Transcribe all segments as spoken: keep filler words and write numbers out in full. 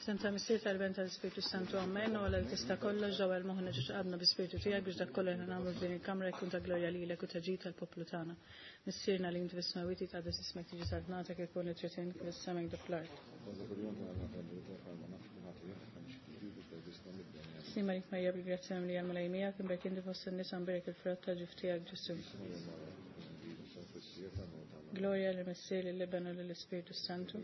F'isem tal-Missier, tal-Iben, tal-Ispirtu Santu, amen. U Alla li tista' kollox, ġewwa moħħna ġiex qabna bi-Spirtu tiegħek biex dak kollu li nagħmlu f'din il-kamra jkun ta' glorja lilek u ta' ġid tal-poplu tagħna. Missierna li inti fis-smewwiet, jitqaddes ismek, tiġi saltnatek, ikun li trid int kif fis-sema hekk fl-art. Sliem għalik Marija, bil-grazzja mimlija, l-Mulej miegħek, imbierka inti fost in-nisa, mbierek il-frott ta' ġuf tiegħek Ġesù. Glorja lill-Missier, lill-Iben u lill-Ispirtu Santu.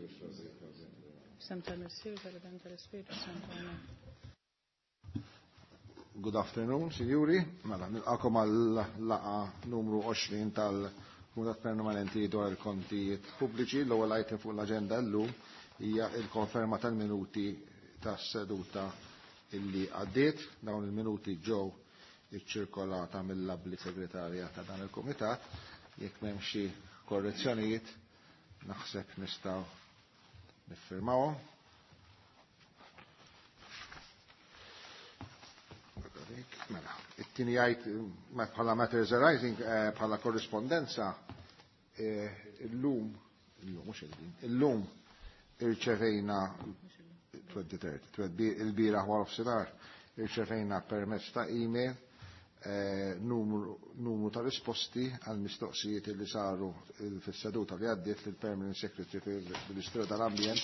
F'isem tal-Missier, tal-Iben, tal-Ispirtu Santu. Amen. Good afternoon, signori. Mela, nilqakom għal-laqgħa numru għoxrin tal-Kumitat Permanenti dwar il-Kontijiet Pubbliċi. L-ewwel item fuq l-aġenda llum hija il-konferma tal-minuti tas-seduta illi għaddiet. Dawn il-minuti ġew iċċirkolata mill-abli segretarja ta' dan il-Kumitat. Jekk m'hemm xi korrezzjonijiet, naħseb nistgħu niffirmawhom. Mela, it-tieni jgħid bħala matters arising, bħala korrispondenza, illum, illum mhux illum, illum irċevejna il-bieraħ wara nofsinhar irċevejna permezz ta' email numru, numru ta' risposti għal mistoqsijiet li saru fis-seduta li għaddiet lill-Permanent Secretary fil-Ministeru tal-Ambjent,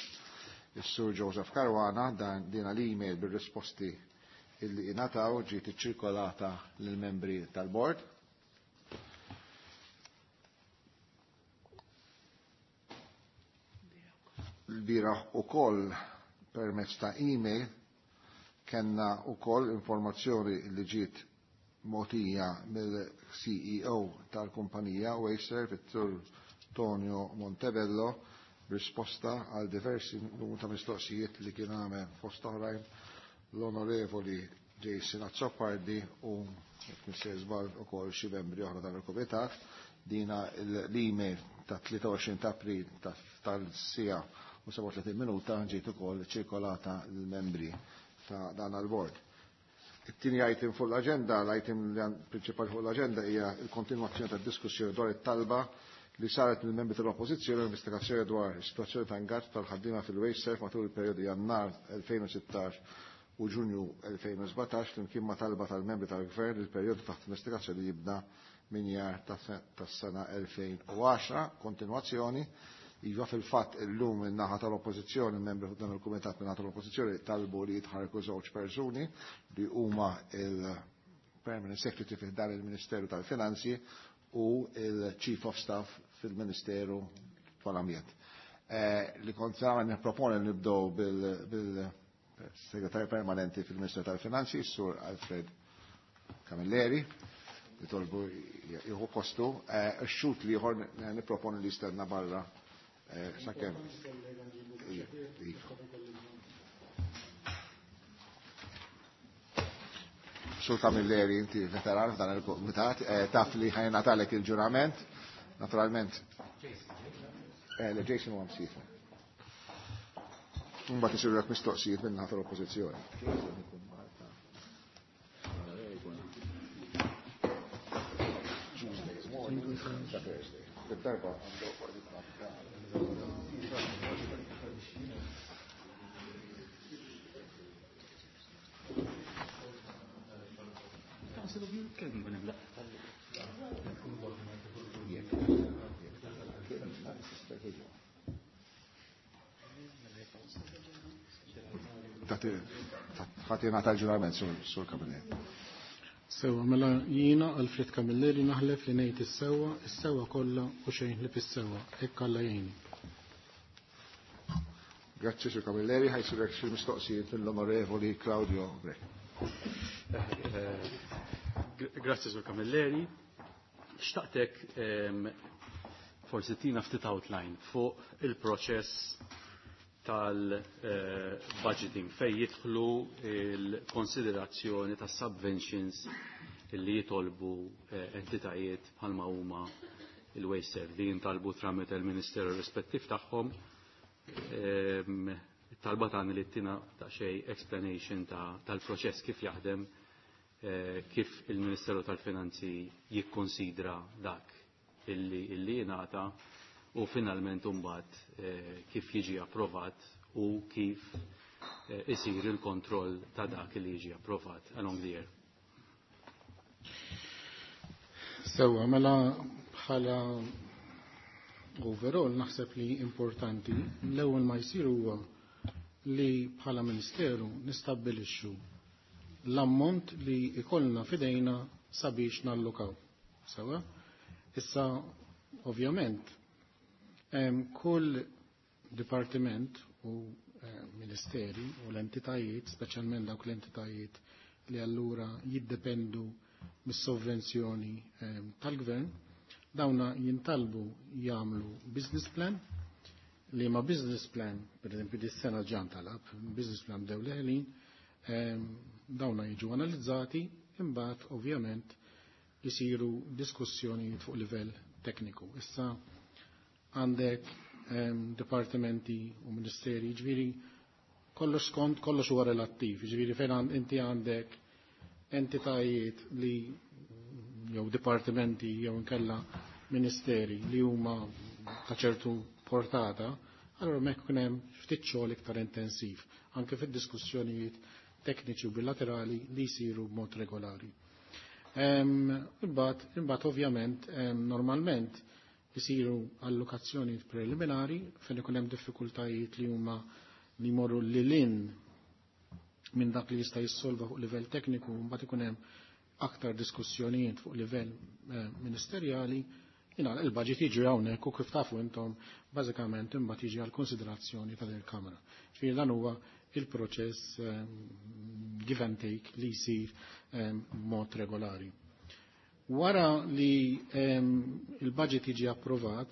is-Sur Joseph Caruana. Dan dina l-email bir-risposti illi ingħataw ġiet iċċirkolata lill-membri tal-bord. L-bieraħ ukoll permezz ta' email kellna ukoll informazzjoni li ġiet mogħtija mill-C E O tal-kumpanija Wasteserv, it-Sur Tonio Montebello, risposta għal diversi numru ta' mistoqsijiet li kien għamel fost oħrajn l-Onorevoli Jason Azzopardi u jekk żball ukoll xi membri oħra tal-Kumitat. Dina l-email ta' tlieta u għoxrin ta' April tas-siegħa u sebgħa u tletin minuta ġiet ukoll ċirkolata l-membri ta' dan għal-bord. It-tieni item fuq l-aġenda, l-item prinċipali fuq l-aġenda hija l-kontinwazzjoni tad-diskussjoni dwar it-talba li saret mill-membri tal-Oppożizzjoni l-investigazzjoni dwar is-sitwazzjoni ta' ingaġġ tal-ħaddiema fil-Wasteserv matul il-perjodu Jannar elfejn u sittax u Ġunju elfejn u sbatax, flimkien ma' talba tal-membri tal-Gvern il-perjodu taħt investigazzjoni jibda minn jar tas-sena elfejn u għaxra. Kontinwazzjoni. Iva, fil-fatt illum in-naħa tal-Oppożizzjoni, membri dan il-Kumitat min-naħa tal-Oppożizzjoni talbu li jitħarku żewġ persuni li huma il-Permanent Secretary fi dan il-Ministeru tal-Finanzi u il-Chief of Staff fil-Ministeru tal-Ambjent. Eh, li kont nagħmel nipproponi nibdew bil-Segretarju Permanenti fil-Ministeru tal-Finanzi, Sur Alfred Camilleri, li tolbu jieħu postu. Eh, X-xhud l-ieħor nipproponi li jistenna barra eh, sakemm. Iva. Sur Camilleri, inti veteran f'dan il-komitat, taf li ħa jingħatalek il-ġurament, naturalment. Le, Jason u għamsifa. Mbagħad isiru dak mistoqsijiet minn naħa tal-Oppożizzjoni. Tuesday morning, Thursday. Darba għandu. Ħatina tal-ġurament, Sur Camilleri. Sewa, mela jiena Alfred Camilleri naħlef li ngħid is-sewwa, is-sewwa kollha u xejn ħlief is-sewwa. Hekk Alla jgħinni. Grazzi, Sur Camilleri, ħa jsirulek xi mistoqsijiet mill-Onorevoli Claudio Grech. Grazzi, Sur Camilleri. Xtaqtek forsi tina ftit outline fuq il-proċess tal-budgeting fej jidħlu il-konsiderazzjoni ta' subventions li jitolbu entitajiet bħalma huma il-Wasteserv li jintalbu tramite il-Ministeru rispettiv tagħhom. Talba tagħni li tina ta' xej explanation tal-proċess kif jaħdem, kif il-Ministeru tal-Finanzi jikkonsidra dak illi illi jingħata u finalment imbagħad kif jiġi approvat u kif isir il-kontroll ta' dak li jiġi approvat along the year. Sewa, mela bħala overall naħseb li importanti l-ewwel ma jsir huwa li bħala Ministeru nistabbilixxu l-ammont li ikollna fidejna sabiex nallokaw. Sewa? Issa, ovvjament, kull dipartiment u ministeri u l-entitajiet, speċjalment dawk l-entitajiet li allura jiddependu mis-sovvenzjoni tal-gvern, dawna jintalbu jagħmlu business plan, li ma business plan, per esempio dis-sena ġan talab, business plan bdew leħlin, dawna jiġu analizzati, imbagħad ovvjament jisiru diskussjonijiet fuq livell tekniku. Issa għandek dipartimenti u ministeri, ġifieri kollox skont, kollox huwa relattiv, ġifieri fejn inti għandek entitajiet li jew dipartimenti jew inkella ministeri li huma ta' ċertu portata, allora mek kun hemm ftit xogħol iktar intensiv, anke fid-diskussjonijiet tekniċi u bilaterali li jsiru b'mod regolari. Imbagħad, imbagħad ovvjament normalment jisiru allokazzjoni preliminari fejn ikun hemm diffikultajiet li huma li jmorru lil minn dak li jista' jissolva fuq livell tekniku, mbagħad ikun hemm aktar diskussjonijiet fuq livell ministerjali, jina il-budget jiġi hawnhekk u kif tafu intom bażikament imbagħad jiġi għal konsiderazzjoni ta' din il-Kamra. Ġifieri dan huwa il-proċess give and take li jsir b'mod regolari. Wara li il-budget jiġi approvat,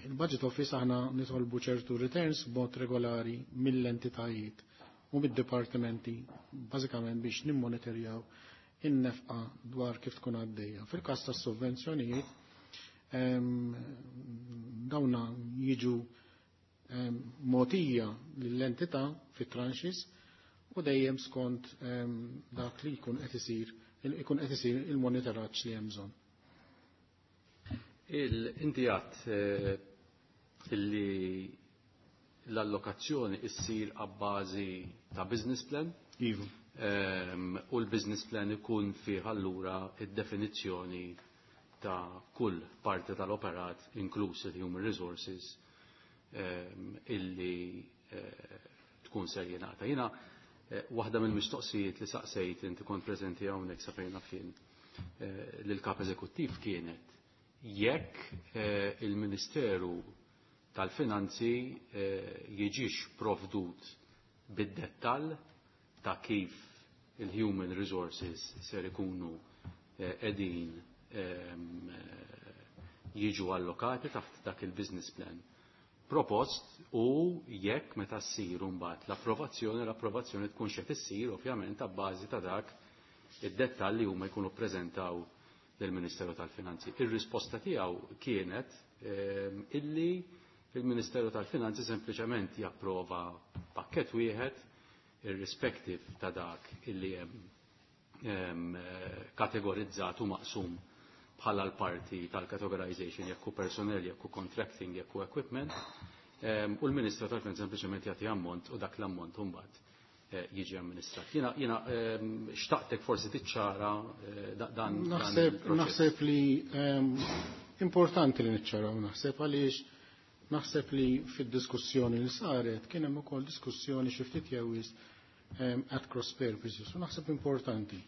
il-budget office aħna nitolbu ċertu returns b'mod regolari mill-entitajiet u mid-dipartimenti bażikament biex nimmonitorjaw in-nefqa dwar kif tkun għaddejja. Fil-każ tas-sovvenzjonijiet dawna jiġu mogħtija lill-entità fit tranches u dejjem skont dak li jkun qed isir ikun qed isir il-monitoraġġ li hemm bżonn. Inti għadt illi l-allokazzjoni issir għabbażi ta' business plan. Iva. U l-business plan ikun fih allura id-definizzjoni ta' kull parti tal-operat, inkluż il-human resources, illi tkun ser jingħata. Jiena waħda mill-mistoqsijiet li saqsejt inti kont preżenti hawnhekk sa fejn naf jien lill-kap eżekuttiv kienet jekk il-Ministeru tal-Finanzi jiġix provdut bid-dettall ta' kif il-human resources ser ikunu qegħdin jiġu allokati taħt dak il-business plan propost u jekk meta ssir mbagħad l-approvazzjoni, l-approvazzjoni tkun xed issir ovvjament ta' bażi ta' dak id-dettall li huma jkunu ppreżentaw lill-Ministeru tal-Finanzi. Ir-risposta tiegħu kienet illi il-Ministeru tal-Finanzi sempliċement japprova pakkett wieħed irrispective ta' dak illi hemm kategorizzat u maqsum bħala l-parti tal-categorization, jekk hu personnel, jekk hu contracting, jekk hu equipment, u l-Ministru tal-Finanzi sempliċement jagħti ammont u dak l-ammont imbagħad jiġi amministrat. Jiena jiena xtaqtek forsi tiċċara dan. Naħseb naħseb li importanti li niċċaraw, naħseb għaliex naħseb li fid-diskussjoni li saret kien hemm ukoll diskussjoni xi ftit jew at cross purposes u naħseb importanti.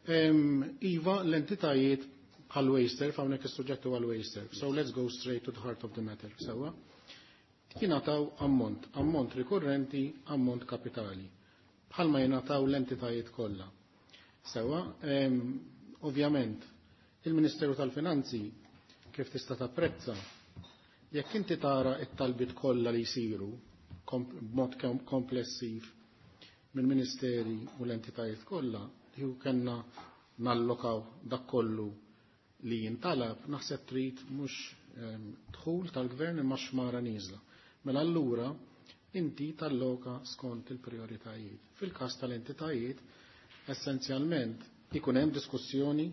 Iva, l-entitajiet bħal WasteServ, hawnhekk is-suġġett huwa l-WasteServ. So let's go straight to the heart of the matter. Sewwa. Jingħataw ammont, ammont rikurrenti, ammont kapitali. Bħalma jingħataw l-entitajiet kollha. Sewwa, ovvjament, il-Ministeru tal-Finanzi kif tista' tapprezza, jekk inti tara it-talbiet kollha li jsiru b'mod komplessiv mill-ministeri u l-entitajiet kollha, li kellna nallokaw dak kollu li jintalab, naħseb trid mhux dħul tal-gvern imma xmara nieżla. Mela allura inti talloka skont il-prioritajiet. Fil-każ tal-entitajiet, essenzjalment ikun hemm diskussjoni,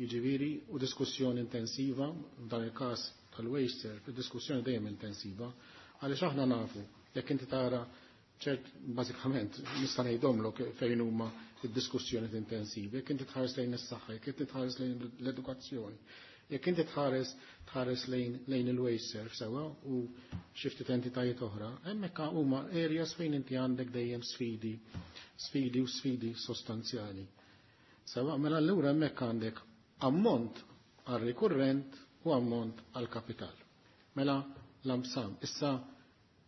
jiġifieri u diskussjoni intensiva, f'dan il-każ tal-WasteServ, diskussjoni dejjem intensiva, għaliex aħna nafu Jekk inti tara ċert bażikament nista' ngħidhomlok fejn huma id-diskussjoni intensivi, jekk inti tħares lejn is-saħħa, jekk inti tħares lejn l-edukazzjoni, jekk inti tħares tħares lejn lejn il-WasteServ sewwa u xi ftit entitajiet oħra, hemmhekk huma areas fejn inti għandek dejjem sfidi, sfidi u sfidi sostanzjali. Sewwa, mela allura hemmhekk għandek ammont għal rikurrent u ammont għal kapital. Mela lump sum. Issa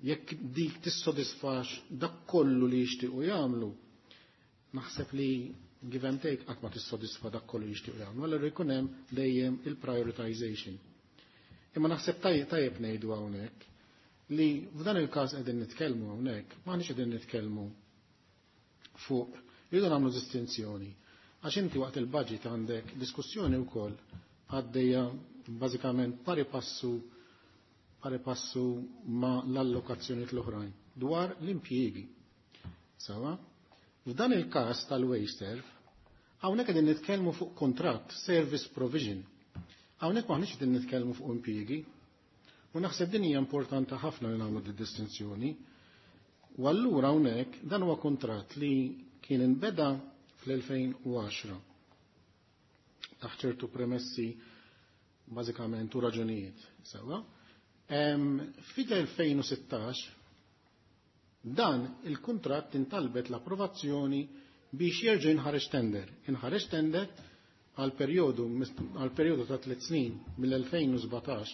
jekk dik tissodisfax dak kollu li jixtiequ jagħmlu, naħseb li give and take qatt ma tissodisfa dak kollu li jixtiequ jagħmlu, allura jkun hemm dejjem il-prioritization. Imma naħseb tajjeb ngħidu hawnhekk li f'dan il-każ qegħdin nitkellmu hawnhekk, m'aħniex qegħdin nitkellmu fuq, irridu nagħmlu distinzjoni. Għax inti waqt il-budget għandek diskussjoni wkoll għaddejja bażikament pari passu pari passu ma l-allokazzjoni l-oħrajn dwar l-impjiegi. Sawa? F'dan il-każ tal-WasteServ, hawnhekk qegħdin nitkellmu fuq kontratt, service provision. Hawnhekk m'aħniex qegħdin nitkellmu fuq impjiegi. U naħseb din hija importanti ħafna li nagħmlu di distinzjoni. U allura hawnhekk dan huwa kontratt li kien inbeda fl-elfejn u għaxra taħt ċertu premessi bażikament u raġunijiet. Sewa? Fil-elfejn u sittax dan il-kuntratt intalbet l-approvazzjoni biex jerġa' jinħareġ tender. Inħareġ tender għal perjodu, għal perjodu ta' tliet snin mill-elfejn u sbatax,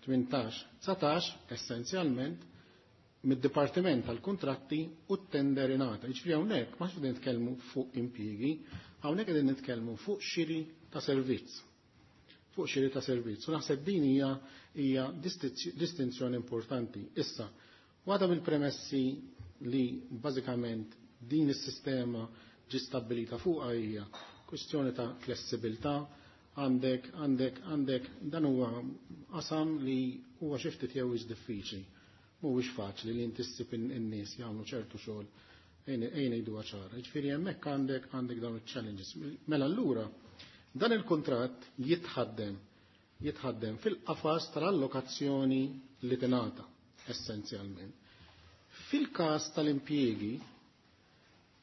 tmintax, dsatax, essenzjalment mid-Dipartiment tal-Kuntratti u t-tender ingħata. Jiġifieri hawnhekk ma qegħdin nitkellmu fuq impjiegi, hawnhekk qegħdin nitkellmu fuq xiri ta' servizz. Fuq xiri ta' servizz. U naħseb din hija, hija distinzjoni importanti. Issa, waħda mill-premessi li bażikament din is-sistema ġi stabbilita fuqha hija kwestjoni ta' flessibilità, għandek, għandek, għandek dan huwa qasam li huwa xi ftit jew diffiċli. Mhuwiex faċli li inti ssib in-nies jagħmlu ċertu xogħol ejn ngħiduha ċara. Jiġifieri hemmhekk għandek, għandek dawn iċ-challenges. Mela allura dan il-kuntratt jitħaddem, jitħaddem fil-qafas tal-allokazzjoni li tingħata essenzjalment. Fil-każ tal-impjiegi,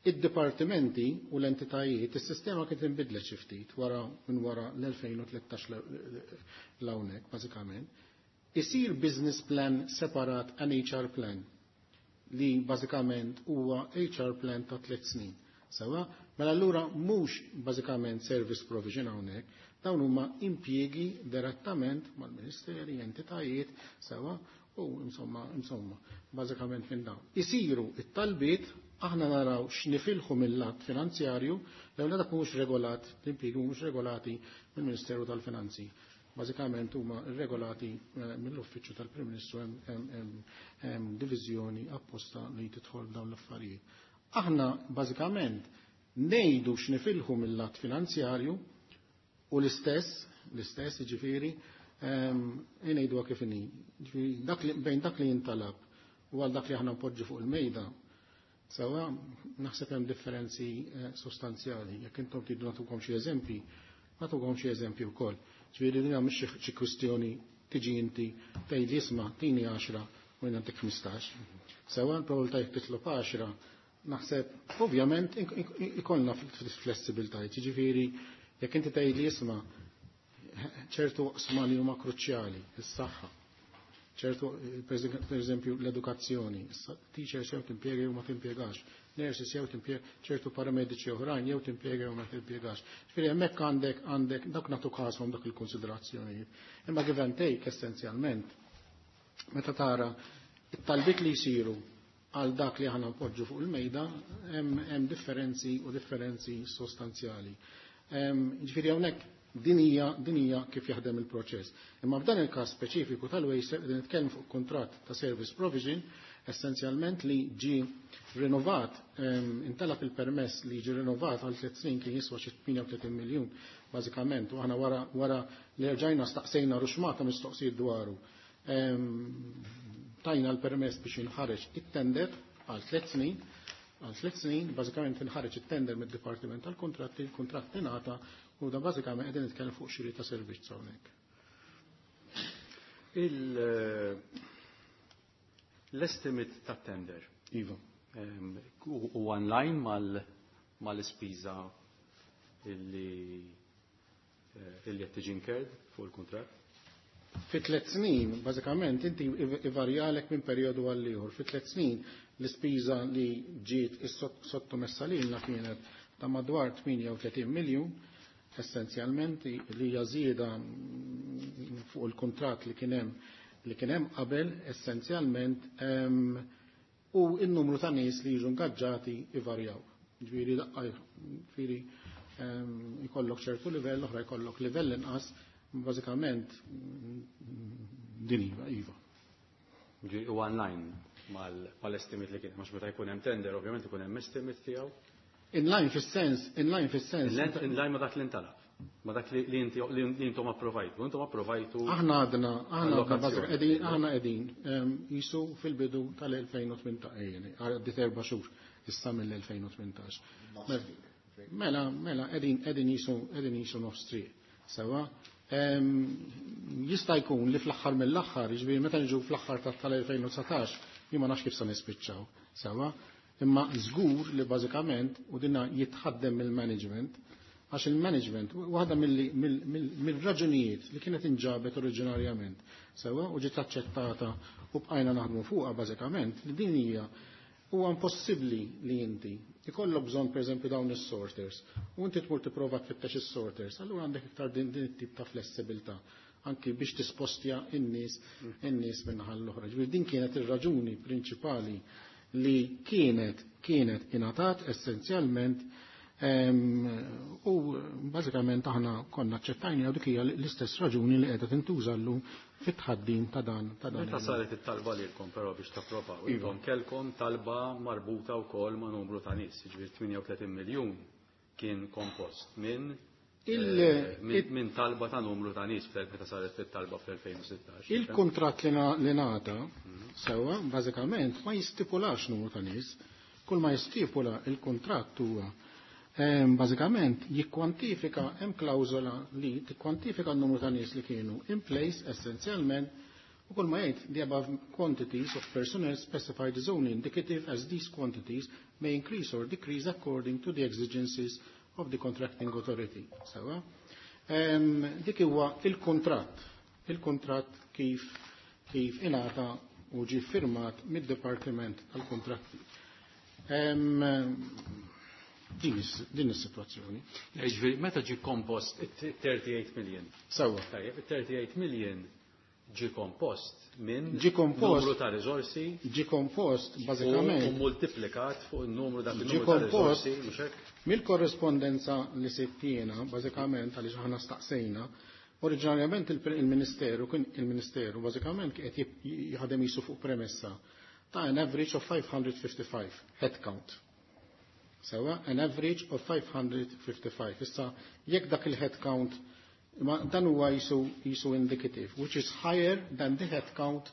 id-dipartimenti u l-entitajiet, is-sistema kien tinbidlet xi ftit wara minn wara l-elfejn u tlettax l-hawnhekk bażikament. Isir business plan separat an H R plan li bażikament huwa H R plan ta' tliet snin. Sewa, mela allura mhux bażikament service provision hawnhekk, dawn huma impjiegi direttament mal-ministeri, entitajiet, sewa, u insomma, insomma, bażikament minn dawn. Isiru it-talbiet, aħna naraw x'nifilħu mill-lat finanzjarju, l-ewwel dak mhux regolat, l-impjiegi mhux regolati mill-Ministeru tal-Finanzi. Bażikament huma regolati, eh, mill-Uffiċċju tal-Prim Ministru, hemm, hemm, hemm diviżjoni apposta li tidħol dawn l-affarijiet. Aħna bażikament ngħidu x'nifilħu mill-lat finanzjarju u l-istess, l-istess jiġifieri, ehm, ngħiduha kif inhi. Jiġifieri dak li, bejn dak li jintalab u għal dak li aħna npoġġu fuq il-mejda, sewa naħseb hemm differenzi, eh, sostanzjali. Jekk intom tridu nagħtukom xi eżempji, nagħtukom xi eżempji wkoll. Ġifieri din mhix xi, xi kwistjoni tiġi inti tgħid li isma' tini għaxra u jien nagħtik ħmistax. Sewa l-probabilità jekk titlob għaxra, naħseb ovvjament ik-, ik-, ikollna flessibilitajiet. Jiġifieri jekk inti tgħid li isma' ċertu oqsma li huma kruċjali, is-saħħa, ċertu per eżempju l-edukazzjoni, issa teachers jew timpjega jew ma timpjegax, nurses jew timpjega, ċertu paramediċi oħrajn jew timpjega jew ma timpjegax. Ġifieri hemmhekk għandek, għandek dak nagħtu każhom dak il-konsiderazzjonijiet. Imma give and take essenzjalment meta tara it-talbiet li jsiru għal dak li aħna npoġġu fuq il-mejda hemm, hemm differenzi u differenzi sostanzjali. Ehm, ġifieri hawnhekk din hija, din hija kif jaħdem il-proċess. Imma f'dan il-każ speċifiku tal-WasteServ qegħdin nitkellmu fuq kuntratt ta' service provision essenzjalment li ġi rinnovat, ehm, intalab il-permess li ġi rinnovat għal tliet snin kien jiswa xi tmienja u tletin miljun bażikament, u aħna wara, wara li rġajna staqsejna ruxmata mistoqsijiet dwaru. Ehm, tajna l-permess biex jinħareġ it-tender għal tliet snin, għal tliet snin, bażikament inħareġ it-tender mid-Dipartiment tal-Kuntratti, il-kuntratt ingħata u da bażikament qegħdin nitkellmu fuq xiri ta' servizz hawnhekk. Il-, L-estimate ta' tender. Iva. U online mal-ispiża illi illi qed tiġi incurred fuq il-kuntratt? Fi tliet snin, bażikament, inti ivarjalek minn perjodu għal ieħor. Fi tliet snin l-ispiża li ġiet sottomessa lilna kienet ta' madwar tmienja u tletin miljun, essenzjalment li hija żieda fuq il-kuntratt li kien hemm li kien hemm qabel essenzjalment, u n-numru ta' nies li jiġu ingaġġati ivarjaw. Ġifieri daqqa ġifieri jkollok ċertu livell, oħra jkollok livell inqas, bażikament din iva, iva. U online mal-estimate li kien, mhux meta jkun hemm tender, ovvjament ikun hemm estimate tiegħu. Inline fis-sens, inline fis-sens. Inline ma dak li ntalab. Ma dak li intom approvajtu. Intom approvajtu. Aħna għadna, aħna qegħdin, aħna qegħdin jisu fil-bidu tal-elfejn u tmintax, għaddit erba' xhur issa mill-elfejn u tmintax. Mela, mela, qegħdin qegħdin jisu qegħdin jisu nofs triq. Sewa, jista' jkun li fl-aħħar mill-aħħar, jiġifieri meta niġu fl-aħħar tal-elfejn u dsatax, jien ma nafx kif se nispiċċaw. Sewa, imma żgur li bażikament u dinna jitħaddem mill-management, għax il-management, waħda mill-raġunijiet li kienet inġabet oriġinarjament, sewa, u ġiet aċċettata u bqajna naħdmu fuqha bażikament, li din hija huwa impossibbli li inti ikollok bżonn, pereżempju, dawn is-sorters u inti tmur tipprova tfittex is-sorters, allura għandek iktar din din it-tip ta' flessibilità anki biex tispostja in-nies in-nies min-naħa l-oħra. Ġifieri din kienet ir-raġuni prinċipali li kienet kienet ingħatat essenzjalment, u bażikament aħna konna aċċettajna, u dik hija l-istess raġuni li qiegħda tintuża llum fit-tħaddim ta' dan ta' dan. Meta saret it-talba lilkom però biex tapprovaw, intom kellkom talba marbuta wkoll ma' numru ta' nies, jiġifieri tmienja u tletin miljun kien kompost minn minn talba ta' numru ta' nies meta saret it-talba fl-elfejn u sittax. Il-kuntratt li ngħata, sewwa, bażikament ma jistipulax numru ta' nies, kull ma jistipula il-kuntratt huwa bażikament jikkwantifika, hemm klawżola li tikkwantifika n-numru ta' nies li kienu in place essenzjalment, u kull ma jgħid, "The above quantities of personnel specified is only indicative, as these quantities may increase or decrease according to the exigencies of the contracting authority." Sewa. Dik huwa il-kuntratt, il-kuntratt kif kif ingħata u ġi firmat mid-Dipartiment tal-Kontratti. Din din is-sitwazzjoni. Ġifieri meta ġi kompost tlieta u tletin million. Sewa. Tajjeb, tlieta u tletin million ġi kompost minn Ġi kompost numru ta' riżorsi Ġi kompost bażikament u multiplikat fuq il-numru dak Ġi il-numru ta' kompost riżorsi, mhux hekk? Mill-korrespondenza li sittina, bażikament għaliex aħna staqsejna, oriġinarjament il-Ministeru kien il-Ministeru bażikament qed jaħdem jisu fuq premessa ta' an average of five hundred fifty-five headcount. Sewa, an average of five hundred fifty-five. Issa, jekk dak il-headcount, ma dan huwa jisu, jisu indicative, which is higher than the headcount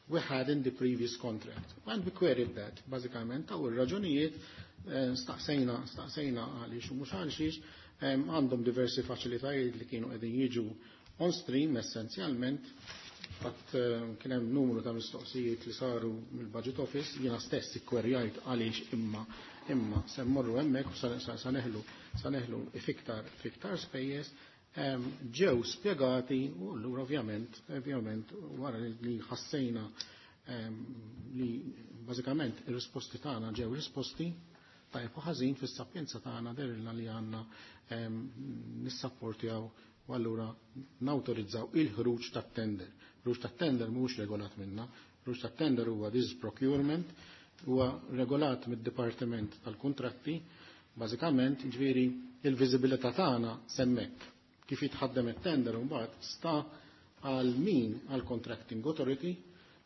we had in the previous contract. And we queried that, bażikament, u r-raġunijiet eh, staqsejna, staqsejna għaliex u mhux għalxiex, għandhom diversi faċilitajiet li kienu qegħdin jiġu on stream essenzjalment. Fatt kien hemm numru ta' mistoqsijiet li saru mill-Budget Office, jiena stess ikkwerjajt għaliex imma imma se mmorru hemmhekk u sa neħlu sa neħlu fiktar fiktar spejjeż, ġew spjegati, u allura ovvjament ovvjament wara li ħassejna li bażikament ir-risposti tagħna ġew risposti tajjeb u ħażin, fis-sapjenza tagħna derilna li għandna nissapportjaw u allura nawtorizzaw il-ħruġ tat-tender. Ħruġ tat-tender mhux regolat minna, ħruġ tat-tender huwa this procurement, huwa regolat mid-Dipartiment tal-Kuntratti, bażikament, ġifieri il-viżibilità tagħna s'hemmhekk. Kif jitħaddem it-tender mbagħad sta għal min, għal contracting authority,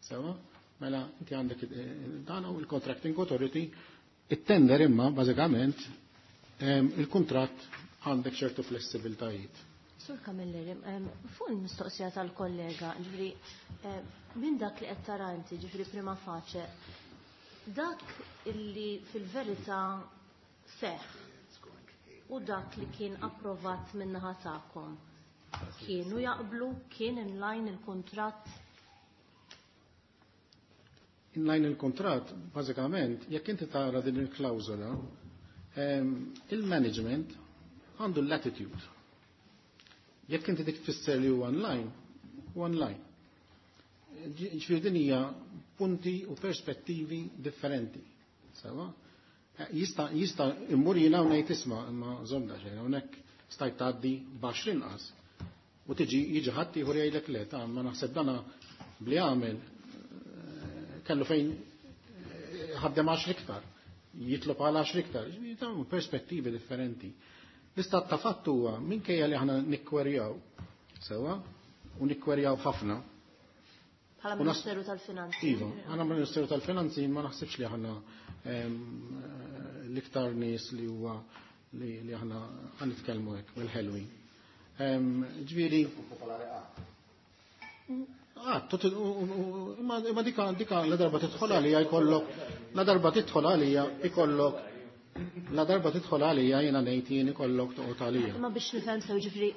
sewa, mela inti għandek dan u il-contracting authority, it-tender, imma bażikament il-kuntratt għandek ċertu flessibiltajiet. Sur Camilleri, fuq il-mistoqsija tal-kollega, ġifieri, minn dak li qed tara inti, ġifieri prima facie, dak illi fil-verità seħ u dak li kien approvat min-naħa tagħkom, kienu jaqblu, kien in line il-kuntratt? Inline il-kontrat, bażikament, jekk inti tara din il-klawżola, il-management għandu l-latitude. Jekk inti dik tfisser li huwa online, huwa online. Ġifieri din hija punti u perspettivi differenti. Sewa? Jista' jista' immur jiena u ngħid isma' imma żomm xejn hawnhekk stajt tgħaddi b'għaxar inqas. U tiġi jiġi ħadd ieħor jgħidlek le, ta' ma naħseb dana bli għamel kellu fejn ħaddem għaxar iktar, jitlob għal għaxar iktar, ġifieri perspettivi differenti. L-istat ta' fatt huwa minkejja li aħna nikkwerjaw sewa u nikkwerjaw ħafna. Bħala Ministeru tal-Finanzi. Iva, aħna Ministeru tal-Finanzi ma naħsibx li aħna l-iktar nies li huwa li aħna ħa nitkellmu hekk bil-ħelwin. Ġifieri imma dika dika la darba tidħol għalija jkollok la darba tidħol għalija ikollok la darba tidħol għalija jiena ngħid jien ikollok toqgħod għalija. Ma biex nifhem sew ġifieri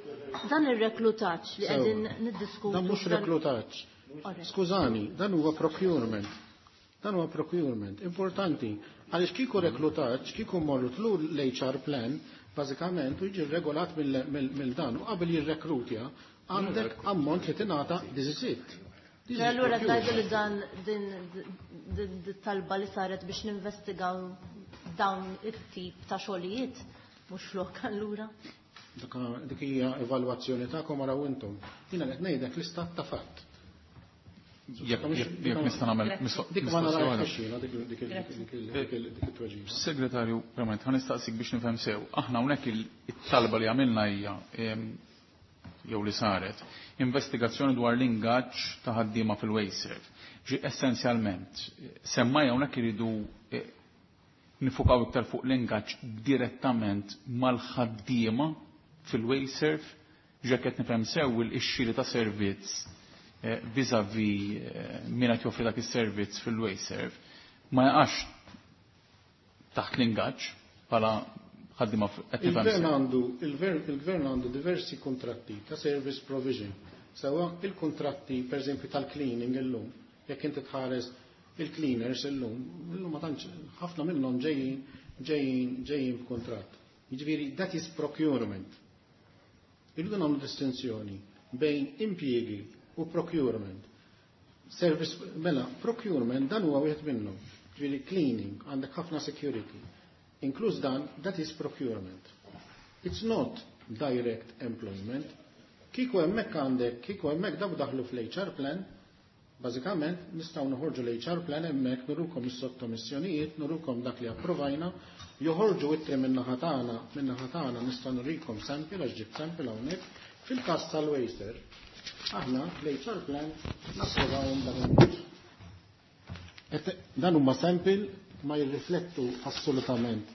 dan ir-reklutaġġ li qegħdin niddiskutu. Dan mhux reklutaġġ. Skużani, dan huwa procurement. Dan huwa procurement importanti. Għaliex kieku reklutaġġ, kieku mmorru tlu l-H R plan, bażikament u jiġi regolat mill-dan u qabel jirrekrutja għandek ammont li tingħata, this is it. Allura tgħidu li dan din talba li saret biex ninvestigaw dawn it-tip ta' xogħlijiet mhux flok allura? Dik hija evalwazzjoni tagħkom, araw intom. Jiena qed ngħidek l-istat ta' fatt. Jekk nista' nagħmel Dik ma narahiex dik it-tweġiba. Segretarju, verament, ħa nistaqsik biex nifhem sew. Aħna hawnhekk it-talba li għamilna hija jew li saret investigazzjoni dwar l-ingaġġ ta' ħaddiema fil-WasteServ. Ġi essenzjalment, semmaj hawnhekk iridu nifukaw iktar fuq l-ingaġġ direttament mal-ħaddiema fil-WasteServ, ġe qed nifhem sew il-xiri ta' servizz vis-a-vis min qed joffri dak is-servizz fil-WasteServ ma jaqax taħt l-ingaġġ bħala ħaddiema, qed nifhem Il-gvern għandu il-gvern għandu diversi kontratti ta' service provision. Sewa il-kontratti per eżempju tal-cleaning illum, jekk inti tħares il-cleaners illum, illum ma tantx ħafna minnhom ġejjin ġejjin ġejjin b'kuntratt. Jiġifieri that is procurement. Irridu nagħmlu distinzjoni bejn impjiegi u procurement. Service, mela, procurement dan huwa wieħed minnhom. Ġifieri cleaning, għandek ħafna security. Inkluż dan, that is procurement. It's not direct employment. Kieku hemmhekk għandek, kieku hemmhekk daw daħlu fl-H R plan, bażikament nistgħu noħorġu l-H R plan hemmhekk, nurukom is-sottomissjonijiet, nurukom dak li approvajna, joħorġu ittri min-naħa tagħna, min-naħa tagħna nistgħu nurikom sample għax ġibt sample hawnhekk. Fil-każ tal-WasteServ, aħna l-H R plan napprovawhom dan il-mod. Dan huma sample, ma jirriflettu assolutament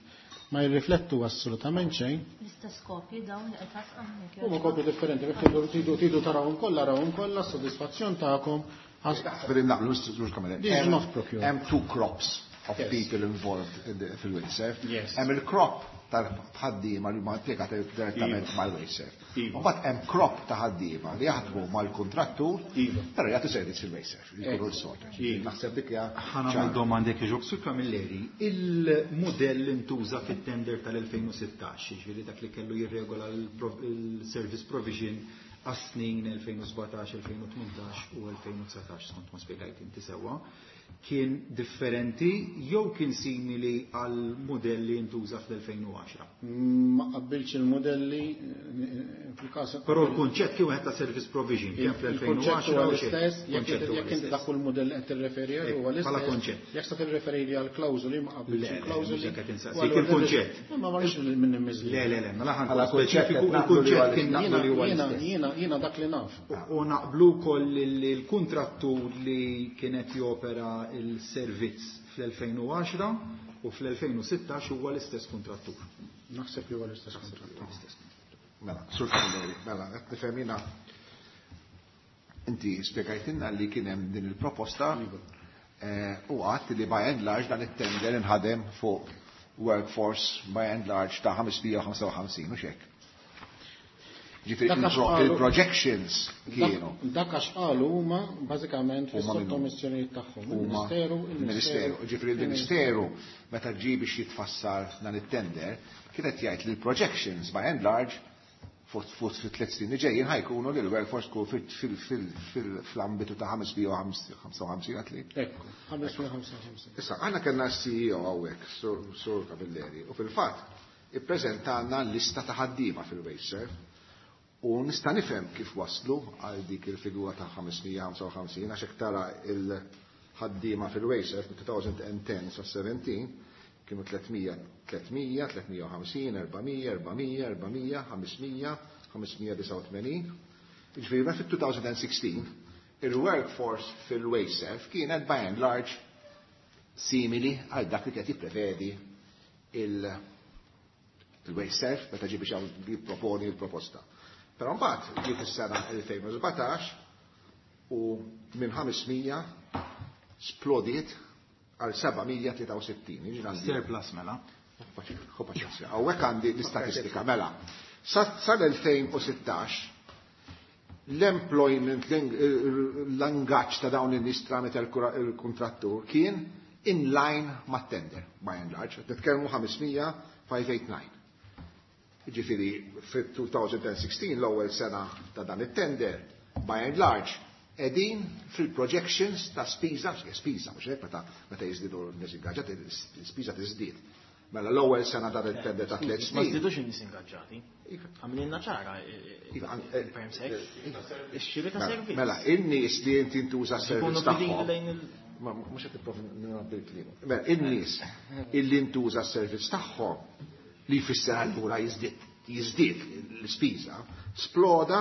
ma jirriflettu assolutament xejn. L-istess kopji dawn li qed tasqam? Huma kopji differenti, jekk tridu tridu tridu tarawhom kollha, arawhom kollha, sodisfazzjon tagħkom. But naqblu, Mister Kamele. This is not procurement. Hemm two crops of Yes. people involved in the- fil-WasteServ. Yes. Hemm il-crop tal-ħaddiema li huma impjegati direttament Iva. mal-WasteServ. Iva. Mbagħad hemm crop ta' ħaddiema li jaħdmu mal-kontrattur, Iva. però jagħtu servizz fil-WasteServ, li jkunu Ekku. l-sorter. Iva. Naħseb dik hija Ħa nagħmel ċara. domanda jekk jogħġbok, Sur Camilleri. Il-modell intuża fit-tender tal-elfejn u sittax, ġifieri dak li kellu jirregola il-service provision għas-snin elfejn u sbatax, elfejn u tmintax u elfejn u dsatax, skont ma spjegajt inti sewwa, kien differenti jew kien simili għal modell li intuża fl-elfejn u għaxra? Ma qabbilx il-modelli eh, fil-każ. Però l-kunċett kien wieħed ta' service provision kien Il-kunċett fl-elfejn u għaxra huwa u l-istess, xejn. jekk Kunċett huwa jekk inti l-istess. dak kull modell qed tirreferi Ek, huwa bħala l-istess. konċett. Jekk se tirreferi għal klawżoli, ma qabbilx Le, le, il-klawżoli. mhux hekk qed insaqsik, U allura il-kunċett. Ma marriċ minn immiżli. Le, le, le, mela ħa nkun Bħala kunċett speċifiku, qed naqblu li huwa il-kunċett kien naqblu li huwa Jiena l-istess. jiena jiena dak li naf. U naqblu wkoll li l-kontrattur li kienet jopera il-servizz fl-elfejn u għaxra u fl-elfejn u sittax huwa l-istess kontrattur. Naħseb li huwa l-istess kontrattur. Mela, Sur Camilleri, mela, qed nifhem jiena inti spjegajtilna li kien hemm din il-proposta eh, u għadt li by and large dan it-tender inħadem fuq workforce by and large ta' ħames mija u ħamsa u ħamsin u xek. Ġifieri il-projections kienu. Dak għax qalu huma bażikament fis-sottomissjonijiet tagħhom. Il-Ministeru, il-Ministeru. Ġifieri il-Ministeru meta ġie biex jitfassal dan it-tender kienet jgħid li l-projections by and large fuq fit-tliet snin li ġejjin ħa jkunu li l-workforce tkun fl-ambitu ta' ħames mija u ħamsa u ħamsin għatli. Ekku, ħames mija u ħamsa u ħamsin. Issa, aħna kellna C E O hawnhekk, Sur Camilleri, u fil-fatt ippreżentalna lista ta' ħaddiema fil-WasteServ u nista' nifhem kif waslu għal dik il-figura ta' ħames mija u ħamsa u ħamsin, għax hekk tara il-ħaddiema fil-WasteServ minn elfejn u għaxra sa sbatax kienu tliet mija, tliet mija, tliet mija u ħamsin, erba' mija, erba' mija, erba' mija, ħames mija, ħames mija u disgħa u tmenin. Ġifieri ma fit-elfejn u sittax il-workforce fil-WasteServ kienet by and large simili għal dak li kienet jipprevedi il-WasteServ meta ġie biex jipproponi l-proposta. Però mbagħad ġiet is-sena elfejn u sbatax u minn ħames mija splodiet għal seba' mija u tlieta u sittin. Surplus mela. Hawnhekk għandi l-istatistika mela. Sal-elfejn u sittax l-employment, l-ingaġġ ta' dawn in-nies tramite il-kontrattur kien in line ma' tender, by and large. Nitkellmu ħames mija ħames tmien disa. Ġifieri, fit-elfejn u sittax, l-ewwel sena ta' dan it-tender, by and large, qegħdin fil-projections ta' spiża, spiża, mhux hekk, meta meta jiżdiedu n-nies ingaġġati, spiża tiżdied. Mela l-ewwel sena dan it-tender ta' tliet Ma snin. żdidux in-nies ingaġġati. Għamilna ċara Iva, il-perm sec. Ix-xiri ta' Mela, servizz. Mela, in-nies li inti ntuża Ikunu servizz bidili tagħhom. lejn il- Ma mhux qed nipprova nagħti l-kliem. Mela, in-nies illi ntuża s-servizz tagħhom, li jfisser allura jiżdied jiżdied l-ispiża, sploda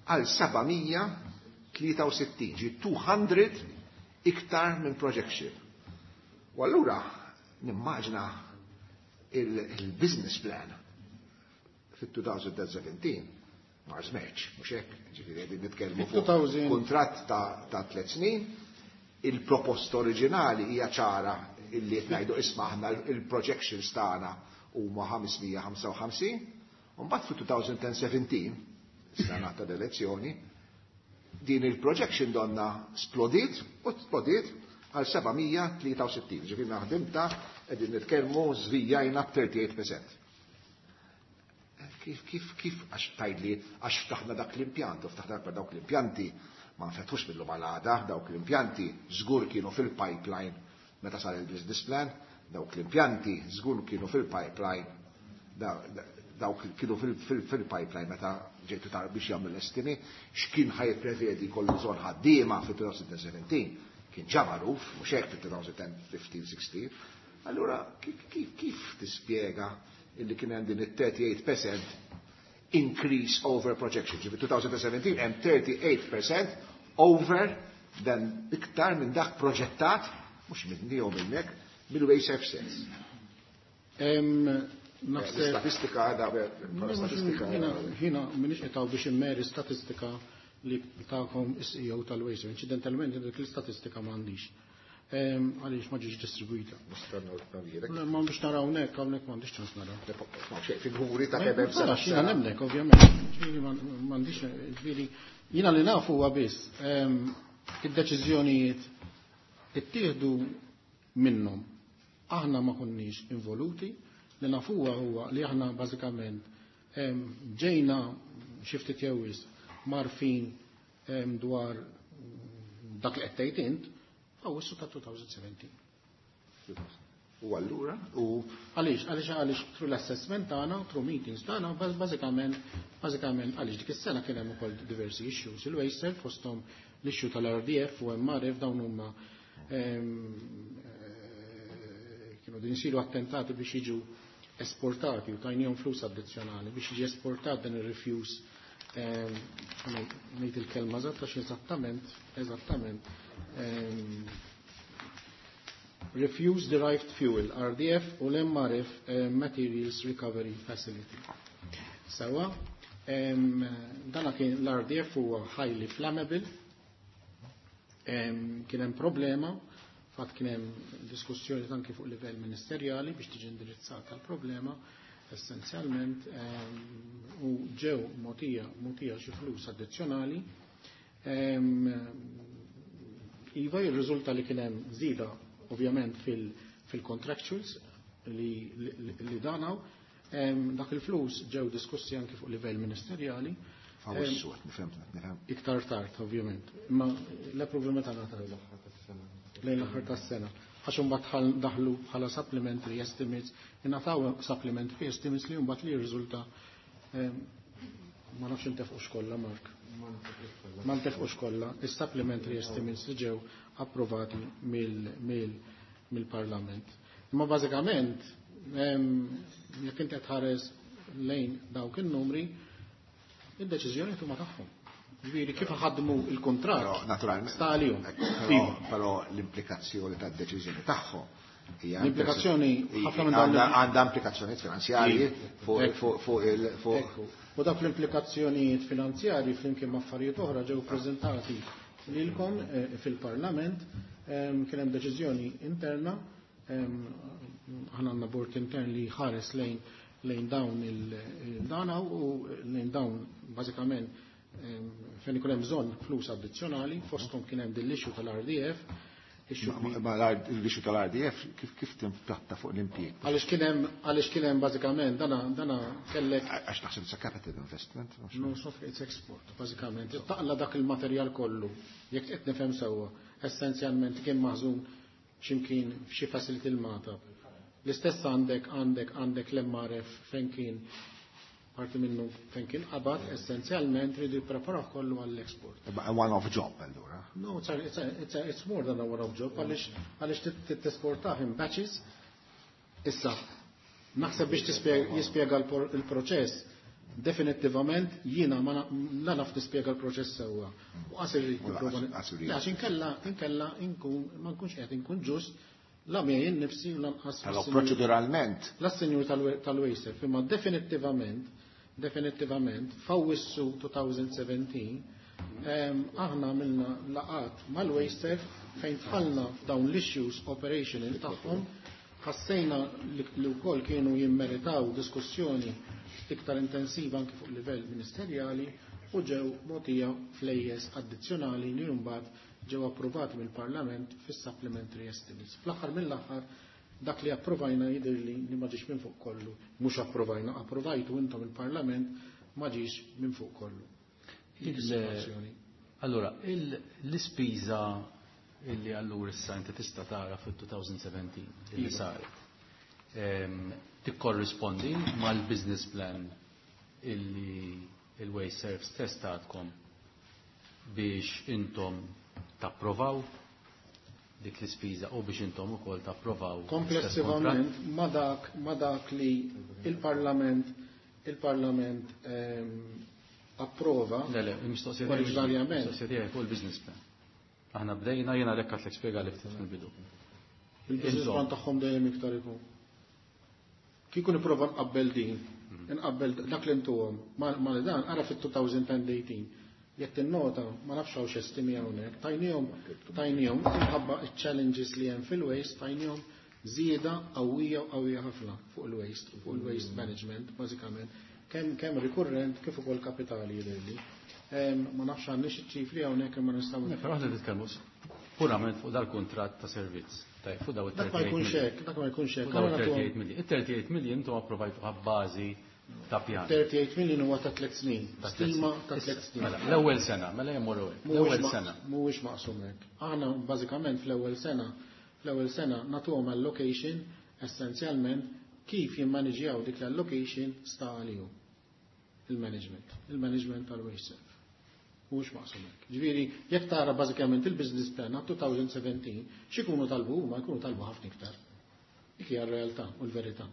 għal seba' mija u tlieta u sittin, ġi mitejn iktar minn projection. U allura nimmaġna il-business plan fit-elfejn u sbatax mar żmerċ, mhux hekk, ġifieri qegħdin nitkellmu fuq fit-elfejn kuntratt ta' ta' tliet snin, il-proposta oriġinali hija ċara illi qed ngħidu, isma', aħna il-projections tagħna huma ħames mija u ħamsa u ħamsin, u mbagħad fit-elfejn u sbatax, sena ta' elezzjoni, din il-projection donna splodiet u splodiet għal seba' mija u tlieta u sittin. Ġifieri naħdimta qegħdin nitkellmu żvijajna b'tlieta u tletin fil-mija. Kif, kif, kif, għax tgħidli, għax ftaħna dak l-impjant, u ftaħna dawk l-impjanti, ma nfetħux mill-lum għal għada, dawk l-impjanti żgur kienu fil-pipeline meta sar il-business plan, dawk l-impjanti żgur kienu fil-pipeline, dawk kienu fil-pipeline meta ġejtu tar biex jagħmlu l-estimi, x'kien ħa jipprevedi kollu bżonn ħaddiema fil-elfejn u sbatax, kien ġa magħruf, mhux hekk, fil-elfejn u ħmistax sittax. Allura kif, kif, kif tispjega illi kien hemm din it-tlieta u tletin fil-mija increase over projection? Ġifieri elfejn u sbatax hemm tlieta u tletin fil-mija over dan iktar minn dak proġettat, mhux minni jew minnek, mill-WasteServ stess. Naħseb L-istatistika għadha, statistika. Jiena m'iniex qed biex immeri statistika li tagħkom is-C E O tal-WasteServ. Incidentalment dik l-istatistika m'għandix. Għaliex ma ġietx distribuita. Ma biex naraw hawnhekk, hawnhekk m'għandix ċans naraw. Figuri ta' kemm hemm sena. Jiena nemnek, ovvjament. Ġifieri m'għandix, ġifieri jiena li nafu huwa biss id-deċiżjonijiet ittieħdu minnhom. Aħna ma konniex involuti, li nafuha huwa li aħna bażikament ġejna xi ftit jew wisq mgħarrfin dwar dak li qed tgħid int Awwissu ta' elfejn u sbatax. U allura, u Għaliex, għaliex, għaliex through l-assessment tagħna, through meetings tagħna, bażikament, bażikament għaliex dik is-sena kien hemm ukoll diversi issues. Il-WasteServ fosthom l-issue tal-R D F u M R F, dawn huma eh, kienu din isiru attentati biex jiġu esportati u tajnihom flus addizzjonali biex jiġi esportat dan ir-refuse, ngħid il-kelma eżatta għax eżattament, eżattament Refuse Derived Fuel, R D F, u l-M R F, Materials Recovery Facility. Sawa, dana kien l-R D F huwa highly flammable, kien hemm problema, fatt kien hemm diskussjoni anki fuq livell ministerjali biex tiġi indirizzata l-problema. essenzjalment, u ġew mogħtija mogħtija xi flus addizzjonali. Iva jirriżulta li kien hemm żieda ovvjament fil-contractuals li, li, li danaw. Dak il-flus ġew diskussi anki fuq livell ministerjali. Fawwissu, nifhem, nifhem. Iktar tard, ovvjament. Imma l-approval meta ngħata lejn l-aħħar tas-sena. Għax imbagħad daħlu bħala supplementary estimates, ingħataw supplementary estimates li mbagħad li jirriżulta ma nafx intefqux kollha, Mark. Ma ntefqux kollha, is-supplementary estimates li ġew approvati mill-Parlament. Imma bażikament jekk inti tħares lejn dawk in-numri, id-deċiżjoni huma tagħhom. Ġifieri kif ħadmu il-kuntratt. Naturalment. Sta għalihom. Però l-implikazzjoni tad-deċiżjoni tagħhom hija l-implikazzjoni ħafna minn dawn għandha implikazzjonijiet finanzjarji fuq il fuq. U dak l-implikazzjonijiet finanzjarji flimkien ma' affarijiet oħra ġew preżentati lilkom fil-Parlament. Kien hemm deċiżjoni interna, aħna għandna bord intern li ħares lejn lejn dawn il-dana u lejn dawn bażikament fejn ikun hemm bżonn flus addizzjonali, fosthom kien hemm din l-issue tal-R D F. Ma l-issue tal-R D F kif kif timpatta fuq l-impjieg? Għaliex kien hemm, għaliex kien hemm bażikament dana, dana kellek Għax naħseb it's a capital investment. No, so it's export, bażikament. Taqla dak il-materjal kollu, jekk qed nifhem sewwa, essenzjalment kien maħżun x'imkien f'xi facility l-Malta. L-istess għandek, għandek, għandek l-M R F fejn kien parti minnu fejn kien qabad, essenzjalment ridu jippreparaw kollu għall-export. A one-off job allura? No, it's, a, it's, a, it's, a, it's more than a one-off job, għaliex, għaliex tesportah in batches. Issa, naħseb biex jispjega l-proċess, definittivament jiena ma la naf nispjega l-proċess sewwa. U qasir irid nipprova Għax inkella, inkella inkun, ma nkunx qed inkun ġust la miegħi innifsi u lanqas Però proċeduralment. La sinjur tal-WasteServ, imma definittivament, definittivament f'Awwissu twenty seventeen, aħna għamilna laqat mal-WasteServ fejn tħallna f'dawn l-issues operational tagħhom, ħassejna li wkoll kienu jimmeritaw diskussjoni iktar intensiva anki fuq livell ministerjali u ġew mogħtija flejjes addizzjonali li mbagħad ġew approvati mill-Parlament fis-supplementary estimates. Fl-aħħar mill-aħħar dak li approvajna jidhirli li ma ġiex minn fuq kollu, mhux approvajna, approvajtu intom il-Parlament ma ġiex minn fuq kollu. Dik is-sitwazzjoni. Allura, l-ispiża illi allura issa inti tista' tara fil-twenty seventeen illi Iva. saret, ehm, tikkorrispondi mal-business plan illi il-WasteServ stess tatkom biex intom tapprovaw dik l-ispiża u biex intom ukoll tapprovaw Komplessivament ma dak, ma dak li il-Parlament, il-Parlament, ehm, approva Le, le, il-mistoqsija tiegħi mhux oriġinarjament. il-mistoqsija tiegħi fuq il-business plan. Aħna bdejna, jiena għalhekk għatlek spjega li ftit fil-bidu. Il-business Intom. plan tagħhom dejjem iktar ikun. Kieku nipprova nqabbel din, nqabbel dak li ntuhom ma-, ma li dan, ara fit-two thousand eighteen. Jekk tinnota, ma nafx hawn x'estimi hawnhekk, tajnihom, tajnihom minħabba iċ-challenges li hemm fil-waste, tajnihom żieda qawwija u qawwija ħafna fuq il-waste, fuq il-waste management, bażikament, kemm, kemm rikurrent kif ukoll kapitali jidhirli. Em, ma nafx għandniex iċ-ċifri hawnhekk imma nistgħu Le, però aħna nitkellmu purament fuq dal-kuntratt ta' servizz. Tajjeb, fuq daw Dak ma jkunx hekk, dak ma jkunx hekk. Fuq daw Allura nagħtuhom thirty-eight million. It-thirty-eight million intom approvajtu b'bażi ta' pjan. thirty-eight million huwa ta' tliet snin. Ta' tliet Stima snin. ta' tliet snin. Mela, l-ewwel sena, mela jemmorru hekk. Mhuwiex L-ewwel ma- sena. Mhuwiex maqsum hekk. Aħna bażikament fl-ewwel sena, fl-ewwel sena nagħtuhom allocation essenzjalment kif jimmaniġjaw dik l-allocation sta għalihom. Il-management, il-management tal-WasteServ. Mhuwiex maqsum hekk. Ġifieri, jekk tara bażikament il-business plan għat twenty seventeen, x'ikunu talbu huma jkunu talbu ħafna iktar. Dik hija r-realtà u l-verità.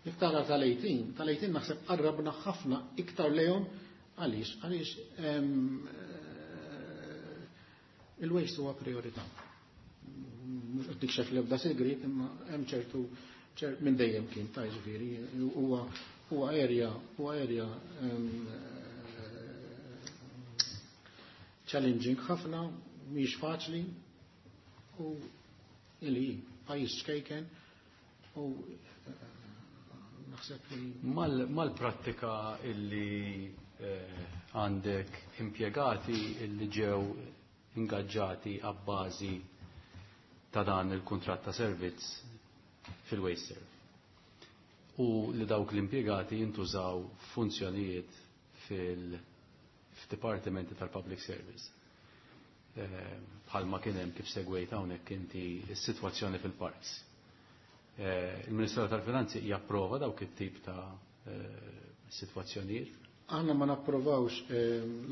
Jekk tara tal-eighteen, tal-eighteen naħseb qarrabna ħafna iktar lejhom għaliex, għaliex, ehm, eh, il-waste huwa priorità. Mhux qed nikxef l-ebda segret, imma hemm ċertu, ċer-, minn dejjem kien ta' ġifieri, huwa, huwa area, huwa area, ehm, challenging ħafna, mhix faċli u ili pajjiż ċkejken u Naħseb li Mal-prattika illi għandek impjegati illi ġew ingaġġati għabbażi ta' dan il-kuntratt ta' servizz fil-WasteServ. U li dawk l-impjegati jintużaw funzjonijiet fil-dipartimenti tal-Public Service. Bħalma kien hemm kif segwejt hawnhekk inti s-sitwazzjoni fil-parks. Il-Ministeru tal-Finanzi japprova dawk it-tip ta' sitwazzjonijiet? Aħna ma napprovawx,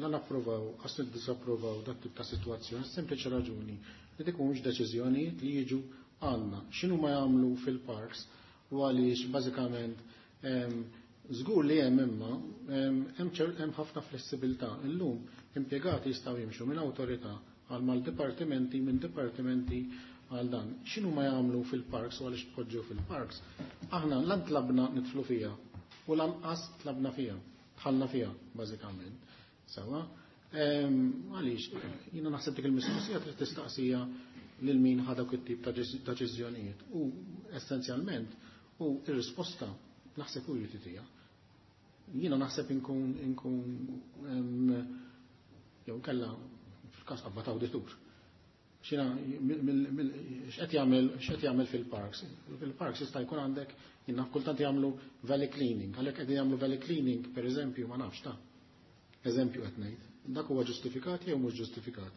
la napprovaw, għas nidisapprovaw dak tip ta' sitwazzjoni, sempliċi raġuni li dik mhumiex deċiżjonijiet li jiġu għandna. X'inhu ma jagħmlu fil-parks u għaliex bażikament żgur li hemm imma hemm ħafna flessibilità. Illum impjegati jistgħu jimxu minn awtorità għal mal-dipartimenti, minn dipartimenti għal dan. X'inhu ma jagħmlu fil-parks u għaliex tpoġġew fil-parks? Aħna lan tlabna nidħlu fiha u lanqas tlabna fiha, dħalna fiha bażikament. Sawa, għaliex jiena naħseb dik il-mistoqsija trid tistaqsija lil min ħa dawk it-tip ta' deċiżjonijiet. U essenzjalment u ir-risposta naħseb u jrid tija. Jiena naħseb inkun inkun jew kella fil-każ qabad awditur. Xina x'qed jagħmel x'qed jagħmel fil-parks? Fil-parks jista' jkun għandek jiena kultant jagħmlu valley cleaning, għalhekk qegħdin jagħmlu valley cleaning pereżempju ma nafx ta' eżempju qed ngħid. Dak huwa ġustifikat jew mhux ġustifikat.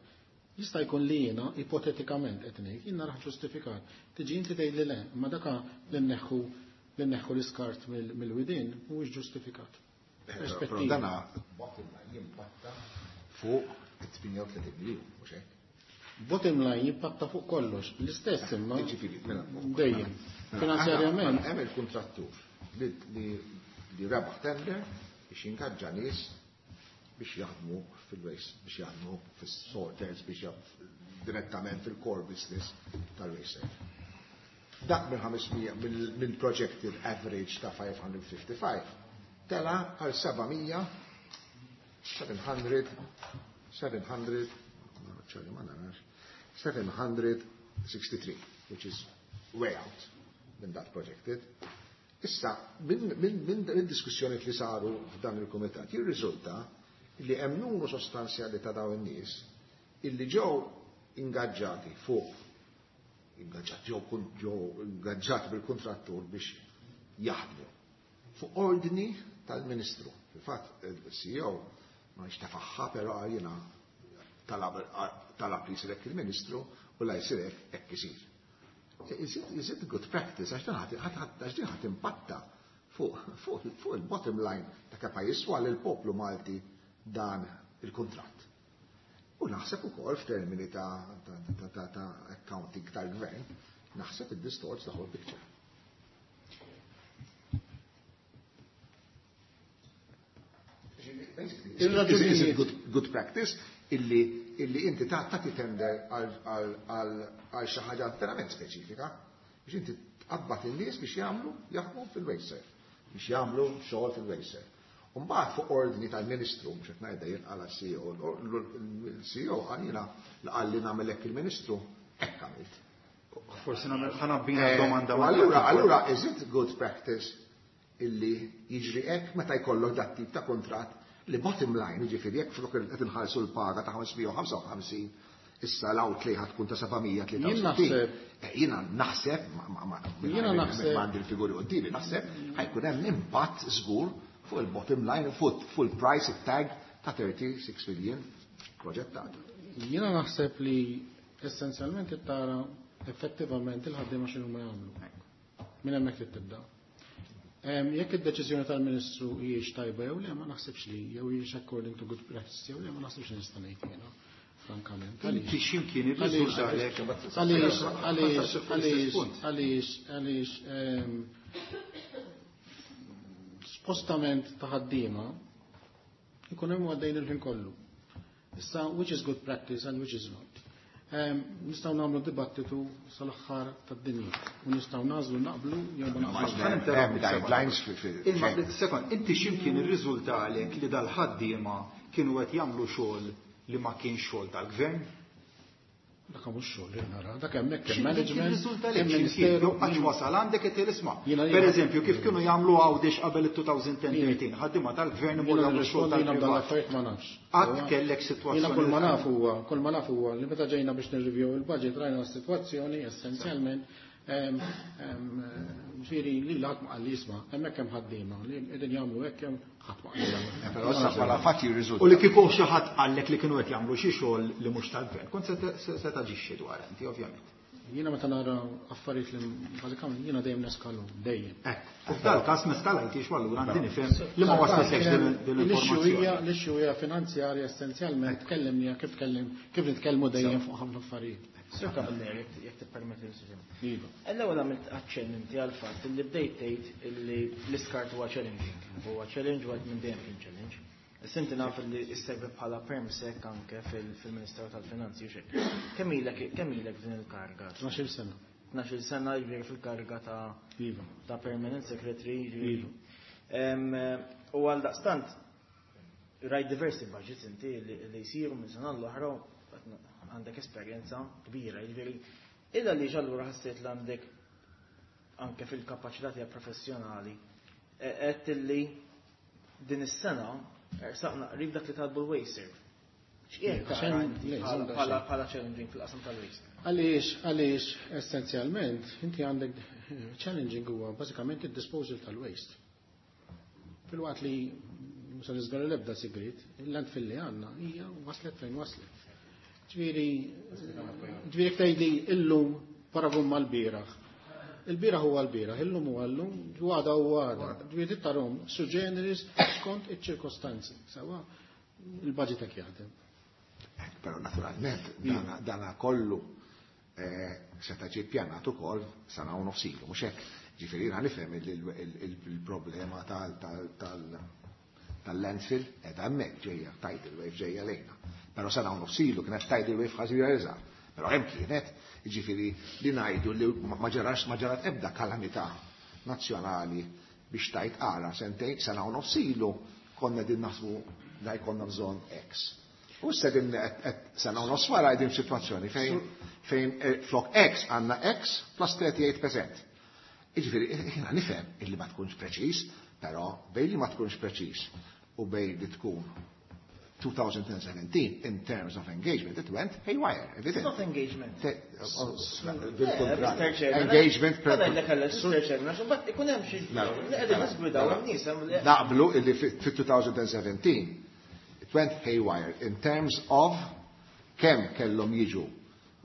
Jista' jkun li jiena ipotetikament qed ngħid, jien narah ġustifikat. Tiġi inti tgħid li le, imma daka li nneħħu li nneħħu l-iskart mill-widien mhuwiex ġustifikat. Però dana bottom line jimpatta fuq tmienja u tletin miljun, mhux hekk? Bottom line jimpatta fuq kollox, l-istess imma Jiġifieri, mela, dejjem. mela, Finanzjarjament hemm il-kuntrattur li li rebaħ tender biex jingaġġa nies biex jaħdmu fil-waste, biex jaħdmu fis-sorters, biex jaħdmu direttament fil-core business tal-waste. Dak minn ħamesmija, mill projected average ta' five hundred fifty-five, tela għal seba' mija, seven hundred, seven hundred, ċerri ma narax, seven hundred sixty-three, which is way out minn that projected. Issa, minn, minn, minn diskussjoni li saru f'dan il-kumitat, jirriżulta li hemm numru sostanzjali ta' dawn in-nies illi ġew ingaġġati fuq, ingaġġati, ġew kun-, ġew ingaġġati bil-kontrattur biex jaħdmu fuq ordni tal-Ministru. Fil-fatt, il-C E O ma nixtafaħħa, però jiena talab, talab li jsir hekk il-Ministru u la jsir hekk hekk isir. Is it, is it good practice? Għax dan ħadd, ħadd, ħadd, għax din ħadd impatta fuq, fuq, fuq il-bottom line ta' kemm jiswa lill-poplu Malti dan il-kuntratt. U naħseb ukoll f'termini ta', ta, ta, ta, ta' accounting tal-gvern, naħseb it distorts the whole picture. Basically, is it, is it good, good practice illi, illi inti ta' tagħti tender għal, għal, għal, għal xi ħaġa verament speċifika biex inti tqabbad in-nies biex jagħmlu jaħdmu fil-WasteServ, biex jagħmlu xogħol fil-WasteServ. U mbagħad fuq ordni tal-Ministru, mhux qed ngħidha jien għala C E O, il-C E O qal jiena li qal li nagħmel hekk il-Ministru, hekk għamilt. Forsi nagħmel ħanabbina Eh, domanda u ma' allura, dak. allura, is it good practice illi jiġri hekk meta jkollok dat tip ta' kuntratt li bottom line, jiġifieri jekk flok qed inħallsu l-paga ta' ħamesmija u ħamsa u ħamsin, issa l-outlay ħad tkun ta' seba' mija tlieta u Jien sittin. naħseb Eh, jiena naħseb, ma, ma, ma, Jiena ma, naħseb ma għandi l-figuri quddiemi, naħseb ħajkun hemm impatt żgur fuq il-bottom line, fuq, fuq il-price tag ta' thirty-six million proġettat. Jiena naħseb li essenzjalment tara effettivament il-ħaddiema x'inhu ma jagħmlu. Minn hemmhekk trid tibda. Em, jekk id-deċiżjoni tal-Ministru hijiex tajba jew le, ma naħsibx li, jew hijiex according to good practice jew le, ma naħsibx li nista' ngħid jiena, frankament. Inti x'imkien Għaliex? irriżulta Għaliex? Għaliex? Għaliex? Għaliex? Għaliex? Għaliex? Em, spostament ta' ħaddiema ikun hemm għaddejn il-ħin kollu. Issa, which is good practice and which is not. Em, nistgħu nagħmlu dibattitu sal-aħħar tad-dinja u nistgħu nagħżlu naqblu jew ma naqblux. Ħa ninterrompi Hemm guidelines fi-, fi-, Imma, fejn. sekond, inti x'imkien irriżulta għalek li dal-ħaddiema kienu qed jagħmlu xogħol li ma kienx xogħol tal-gvern? Dak mhux xogħol li nara, dak hemmhekk hemm management. Hemm ministeru għax wasal għandek qed isma'. Pereżempju, kif kienu jagħmlu Għawdex qabel it-twenty thirteen, ħaddiema tal-gvern imorru jagħmlu xogħol tal-privat. Ma nafx. Qatt kellek sitwazzjoni. Jiena kull ma naf huwa, kull ma naf huwa li meta ġejna biex nirrivjew il-budget rajna s-sitwazzjoni essenzjalment ġifieri li ħadd ma qal li jisma' hemmhekk hemm ħaddiema li qegħdin jagħmlu hekk hemm ħadd ma qal. Però issa bħala fatt jirriżulta. U li kieku xi ħadd qallek li kienu qed jagħmlu xi xogħol li mhux tal-gvern, kont se taġixxi dwar inti ovvjament. Jiena meta nara affarijiet li bażikament jiena dejjem neskalhom, dejjem. Hekk. U f'dal-każ meskalajtix u allura għandi nifhem li ma waslitlekx din l-informazzjoni. L-issue hija finanzjarja essenzjalment tkellimni kif tkellim kif nitkellmu dejjem fuq ħafna affarijiet. Sur Camilleri, jekk tippermetti li Iva. L-ewwel għamilt aċċenn inti għal fatt li bdejt tgħid illi l-iskart huwa challenging. Huwa challenge u għad minn dejjem kien challenge. Issa inti naf li isservi bħala permsec anke fil-Ministeru tal-Finanzi u xejn. Kemm ilek kemm ilek f'din il-karga? Tnax-il sena. Tnax-il sena jiġifieri fil-karga ta' Iva. ta' permanent secretary jiġifieri. Iva. U għal daqstant rajt diversi budgets inti li jsiru minn sena l-oħra għandek esperjenza kbira, jiġifieri illa li allura ħassejt li għandek anke fil-kapaċità tiegħek professjonali qed illi din is-sena saqna qrib dak li talbu l-WasteServ. X'qiegħed tara inti bħala bħala challenging fil-qasam tal-waste? Għaliex, għaliex essenzjalment inti għandek challenging huwa bażikament id-disposal tal-waste. Filwaqt li mhux se niżvela l-ebda sigriet, il-landfill li għandna hija waslet fejn waslet. Ġifieri, ġifieri jekk tgħidli illum paragun mal-bieraħ. Il-bieraħ huwa l-bieraħ, illum huwa llum, għada huwa għada. Ġifieri tarhom su generis skont iċ-ċirkostanzi. Sewa il-budget hekk jaħdem. Però naturalment dana, dana kollu seta' ġie ppjanat ukoll sena u nofs ilu, mhux hekk. Ġifieri jiena nifhem il-problema tal-landfill qiegħda hemmhekk ġejja tidal wave ġejja lejna. Però sena u nofs ilu kienet tidal wave ħażira iżgħar. Però hemm kienet, jiġifieri li ngħidu li ma ġarax ma ġarat ebda kalamità nazzjonali biex tajt ara sentejn sena u nofs ilu konna din naħsbu da jkollna bżonn X. U issa din sena u nofs wara qegħdin f'sitwazzjoni fejn fejn flok X għandna X plus thirty-eight percent. Jiġifieri jiena nifhem illi ma tkunx preċiż, però bejn li ma tkunx preċiż u bejn li tkun twenty seventeen in terms of engagement, it went haywire, evident. It's not engagement. Bil-kontrarju. Engagement per. Mister Chairman, għax imbagħad ikun hemm xi li qegħdin nisgwidaw in-nies hemm li Naqblu illi fit-twenty seventeen it went haywire in terms of kemm kellhom jiġu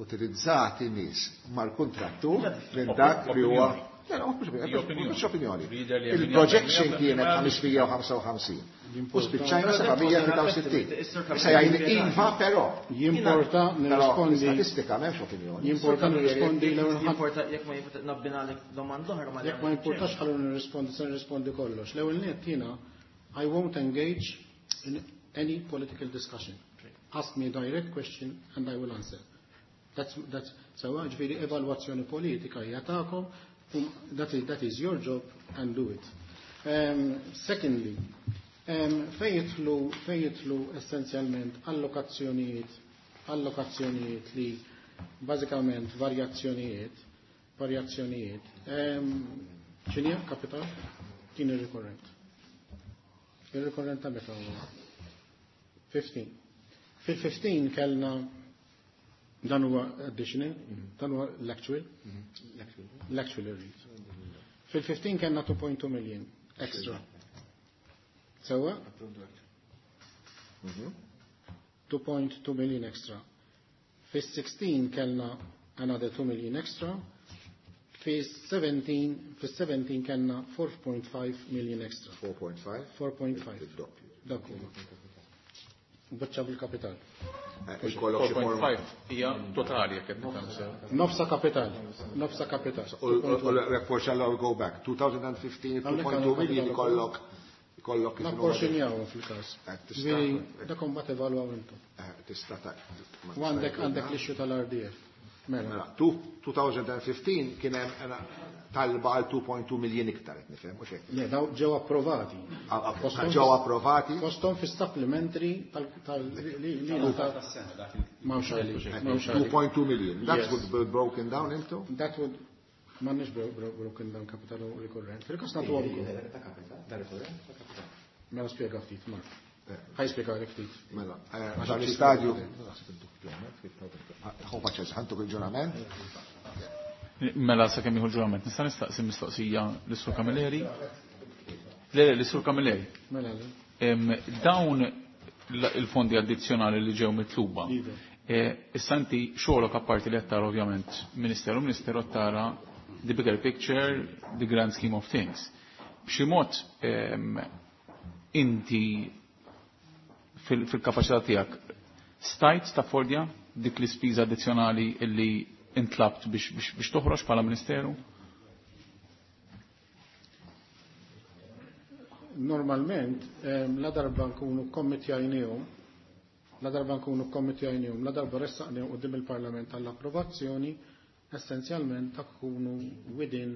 utilizzati nies mal-kuntrattur minn dak li huwa mhux opinjoni. Il-projection kienet ħamsmija u ħamsa u ħamsin. U spiċċajna sebgħamija tlieta u sittin. Issa jgħid iva però. Jimporta nirrispondi. Statistika m'hemmx opinjoni. Jimporta nirrispondi l-ewwel ħadd. Jimporta jekk ma jimporta nabbinalek domanda oħra ma Jekk ma jimportax ħallu nirrispondi, se nirrispondi kollox. L-ewwel nett jiena I won't engage in any political discussion. Ask me a direct question and I will answer. That's, that's, sewa ġifieri evalwazzjoni politika hija tagħkom, that is, that is your job and do it. Um, secondly, um, fejn jidħlu, fejn jidħlu essenzjalment allokazzjonijiet, allokazzjonijiet li bażikament varjazzjonijiet, varjazzjonijiet. Um, x'inhi kapital? Kien ir-rikorrent. Ir-rikorrent ta' meta huwa? fifteen. Fil-fifteen kellna dan huwa additional, dan huwa l-actual, l-actual rate. Fil-fifteen kellna two point two million extra. Sewa? two point two million extra. Fis-sixteen kellna another two million extra. Fis-seventeen, fis-seventeen kellna four point five million extra. four point five? four point five. Il-doppju. Dak huwa. Biċċa bil-kapital. Ikollok xi four point forma. five hija totali jekk qed nifhem sew. Nofsa kapital. Nofsa kapital. U l-, forsi allora go back. two thousand fifteen, two point two million ikollok, ikollok kif inhu. Napporxinjaw fil-każ. Eh, tista' Ġifieri, dak imbagħad evalwaw intom. Eh, tista' ta' ma U għandek, tista' għandek l-issue tal-R D F. Mela. Mela, two, two thousand fifteen kien hemm Talba għal two point two million iktar, qed nifhem, mhux hekk? Le, daw ġew approvati. Ġew approvati. Fosthom fi supplementary tal li li m'hawnx għaliex. two point two million. That Yes. would be broken down into? That would m'għandniex bro- bro- broken down capital u recurrent. Fil-każ nagħtu għal. Mela spjega ftit, Mark. Ħa jispjega ftit. Mela, eh, dan l-istadju. Ħu paċenza, ħa ntuk il-ġurament. Mela sakemm jieħu l-ġurament, nista' nistaqsi mistoqsija lis-Sur Camilleri? Le, le, lis-Sur Camilleri. Mela, le. Em, Dawn l- il-fondi addizzjonali li ġew mitluba. Iva. Eh, Issa inti xogħolok, apparti li qed tara ovvjament Ministeru, Ministeru tara the bigger picture, the grand scheme of things. B'xi mod em, inti fil- fil-kapaċità tiegħek stajt taffordja dik l-ispiża addizzjonali illi intlabt biex, biex, biex toħroġ bħala Ministeru? Normalment, em, la darba nkunu kommittjajnihom, la darba nkunu kommittjajnihom, la darba ressaqnihom quddiem il-Parlament għall-approvazzjoni, essenzjalment tkunu within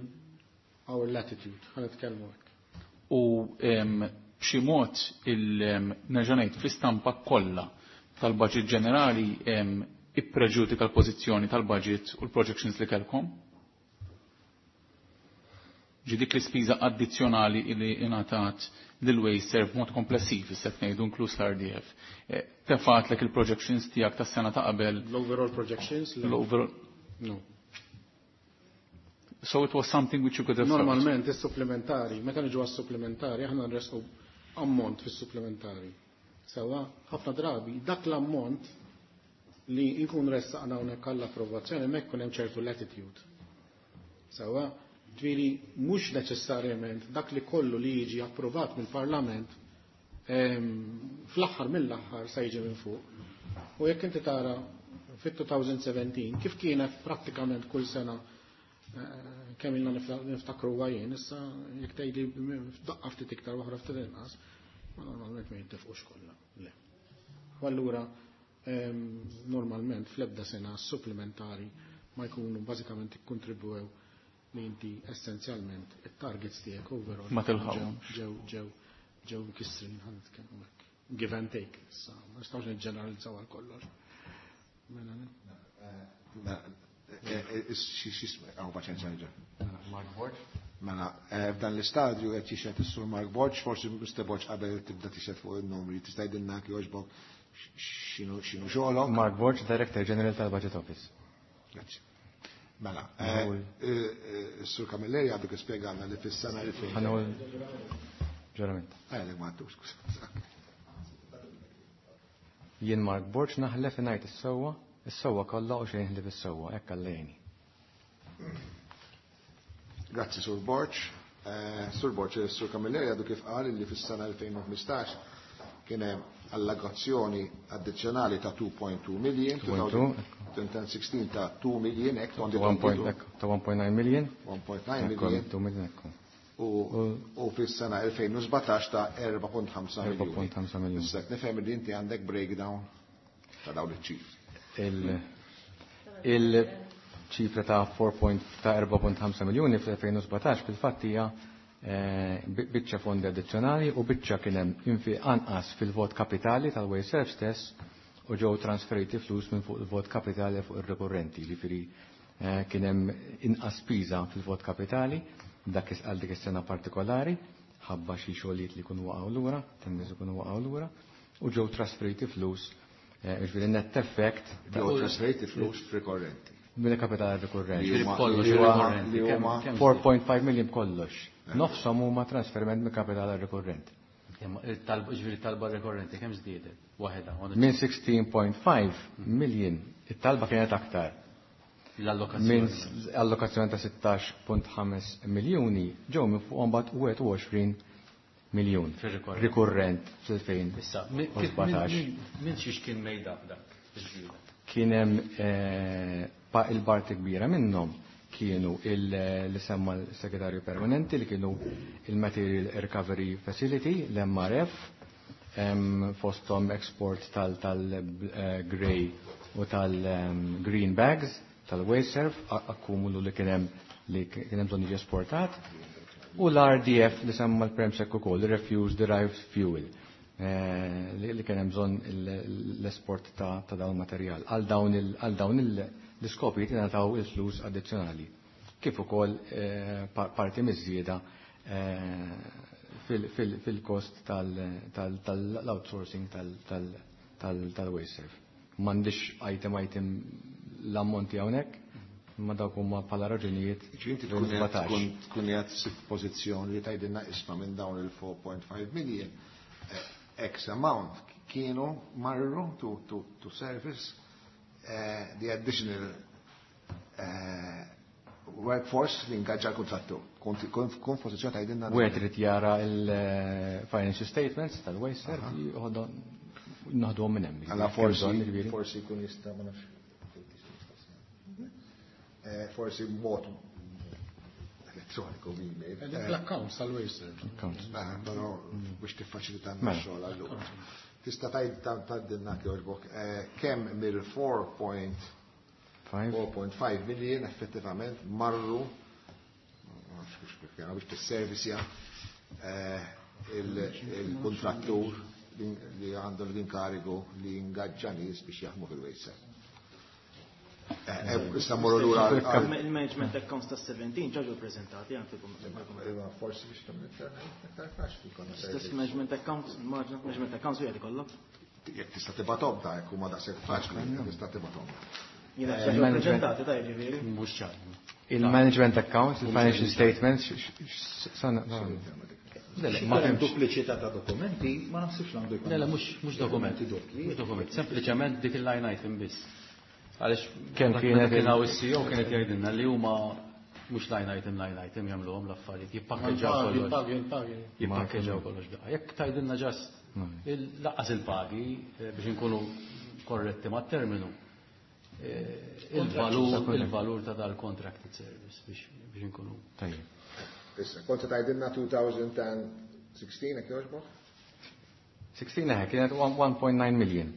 our latitude, ħa nitkellmu hekk. U em, b'xi mod il nerġa' ngħid fl-istampa kollha tal-budget ġenerali em, ippreġudika l-pożizzjoni tal-budget u l-projections li kellkom? Ġi dik l-ispiża addizzjonali li ingħatat lil WasteServ b'mod komplessiv, issa qed ngħidu inkluż l-R D F. Eh, Tefatlek il-projections tiegħek tas-sena ta' qabel? L-overall projections? Le. L-overall. No. So it was something which you could have solved. Normalment, is-supplementari, meta niġu għas-supplementari, aħna nresqu ammont fis-supplementari. Sewa, ħafna drabi, dak l-ammont li nkun ressaqna hawnhekk għall-approvazzjoni hemmhekk ikun hemm ċertu latitude. Sewa, ġifieri mhux neċessarjament dak li kollu li jiġi approvat mill-Parlament em, fl-aħħar mill-aħħar se jiġi minn fuq. U jekk inti tara fit-twenty seventeen kif kienet prattikament kull sena eh, kemm ilna nifta- niftakru għajjen, issa jekk tgħidli f'daqqa ftit iktar, waħda ftit inqas, ma normalment ma jintefqux kollha. Le. U allura em, normalment fl-ebda sena supplementari ma jkunu bażikament ikkontribwew li inti essenzjalment it-targets tiegħek overall Ma tilħaqhomx. ġew ġew ġew mkissrin, ħa nitkellmu hekk. Give and take, issa ma nistgħux niġġeneralizzaw għal kollox. Mela, ne? Għaw paċenza nġa. Mark Borg. Mela, eh, f'dan l-istadju qed jixhed is-Sur Mark Borg, forsi Mister Borg qabel tibda tixhed fuq il-numri, tista' jgħidilna jogħġbok x'inhu x'inhu xogħolok? Mark Borg, Director General tal-Budget Office. Grazzi. Mela, eh, eh, is-Sur Camilleri għadu kif spjegana li fis-sena elfejn. Ħa nieħu ġurament. Għalek ma għattux, skuża. Jien Mark Borg naħlef ngħid is-sewwa, is-sewwa kollha u xejn ħlief is-sewwa, hekk għallejni. Grazzi, Sur Borg. Eh, Sur Borg, Sur Camilleri għadu kif qal li fis-sena elfejn u ħmistax kien hemm allokazzjoni addizzjonali ta' two point two million, two point two. twenty sixteen ta' two million, hekk? Ta' one point nine million. one point nine Ekku, million. two million, ekku. U u fis-sena elfejn u sbatax ta' four point five miljoni. four point five miljoni. Issa nifhem li inti għandek breakdown ta' dawn iċ-ċifri. Il- Il-ċifra ta' four ta' four point five miljoni fl-elfejn u sbatax fil-fatt hija eh, bi- biċċa fondi addizzjonali u biċċa kien hemm infi anqas fil-vot kapitali tal-WasteServ stess u ġew trasferiti flus minn fuq il-vot kapitali fuq ir-rikorrenti, ġifieri eh, kien hemm inqas spiża fil-vot kapitali dak is għal dik is-sena partikolari ħabba xi xogħlijiet li jkunu waqgħu lura, tenders ikunu waqgħu lura u ġew trasferiti flus eh, ġifieri net effect ta' Ġew trasferiti flus rikorrenti. Mill-kapital rikorrenti. Li huma- Kollox li huma- rikorrenti. li huma Kemm- four point five million kollox. Nofshom huma trasferiment mill kapital rikorrenti. Kemm il-talba, ġifieri talba rikorrenti kemm żdiedet? Waħedha. Minn sixteen point five million, it-talba kienet aktar. L-allokazzjoni. Minn s- allokazzjoni ta' sittax punt ħamsa miljuni ġew minn fuq mbagħad wieħed u għoxrin miljun Fir-rikorrent. rikorrent fl-elfejn u sbatax. Issa, min min- min xiex kien made up dak? Iż-żieda. Kien hemm eh, pa il-parti kbira minnhom kienu il- li semma l-segretarju permanenti li kienu il-Material Recovery Facility, l-M R F, em, fosthom export tal-grey u tal-green bags, tal-WasteServ, akkumulu li kien hemm li kien hemm bżonn jiġi esportat u l-R D F li semma l-Perm Sec ukoll, Refuse Derived Fuel, eh, li kien hemm bżonn l-esport ta' dawn materjal. Għal dawn l-iskopi jingħataw il-flus addizzjonali. Kif ukoll eh, parti miż-żieda eh, fil-kost tal-outsourcing tal-WasteServ. M'għandix item item l-ammonti hawnhekk, ma dawk huma bħala raġunijiet. Inti tkun tkun qiegħed f'pożizzjoni li tgħidilna, isma', minn dawn il-four point five million, eh, X amount kienu marru to, to, to service uh, the additional uh, workforce li ingaġġa l-kontrattur. Kun pożizzjoni tgħidilna. Wieħed irid jara il-financial statements tal-WasteServ, naħduhom minn hemm. Alla forsi forsi jkun jista', ma nafx. Eh, forsi mod elettroniku, email. L-accounts tal-WasteServ. Accounts. Però biex tiffaċilita x-xogħol allura. Tista' tgħid tgħidilna jogħġbok kemm mill-four point five million effettivament marru biex tisservisja il-kontrattur li għandu l-inkarigu li ingaġġa nies biex jaħdmu fil-WasteServ? Issa morru lura. Il-management accounts ta' sbatax ġew prezentati anke. Forsi biex tagħmel iktar faċli. Stess management accounts, management accounts wieħed ikollok. Jekk tista' tibgħathom ta' jekk huma daqshekk faċli, tista' tibgħathom. Jiena ġew prezentati ta' jiġifieri. Mhux ċar. Il-management accounts, il-financial statements, Ma hemm dupliċità ta' dokumenti, ma naħsibx għandu jkun. Le, le, mhux dokumenti. Mhux dokument, sempliċement dik il-line item biss. Għaliex kemm kienet kien hawn is-C E O kienet jgħidilna li huma mhux line item line item jagħmluhom l-affarijiet, jippakkeġġaw kollox. Jippakkeġġaw kollox daqqa. Jekk tgħidilna just lanqas il-pagi, eh, biex inkunu korretti mat-terminu. Eh, il-valur il-valur ta' dal-contracted service biex biex inkunu. Tajjeb. Issa, kont tgħidilna twenty sixteen, jekk jogħġbok? sittax eħe, kienet one point nine million.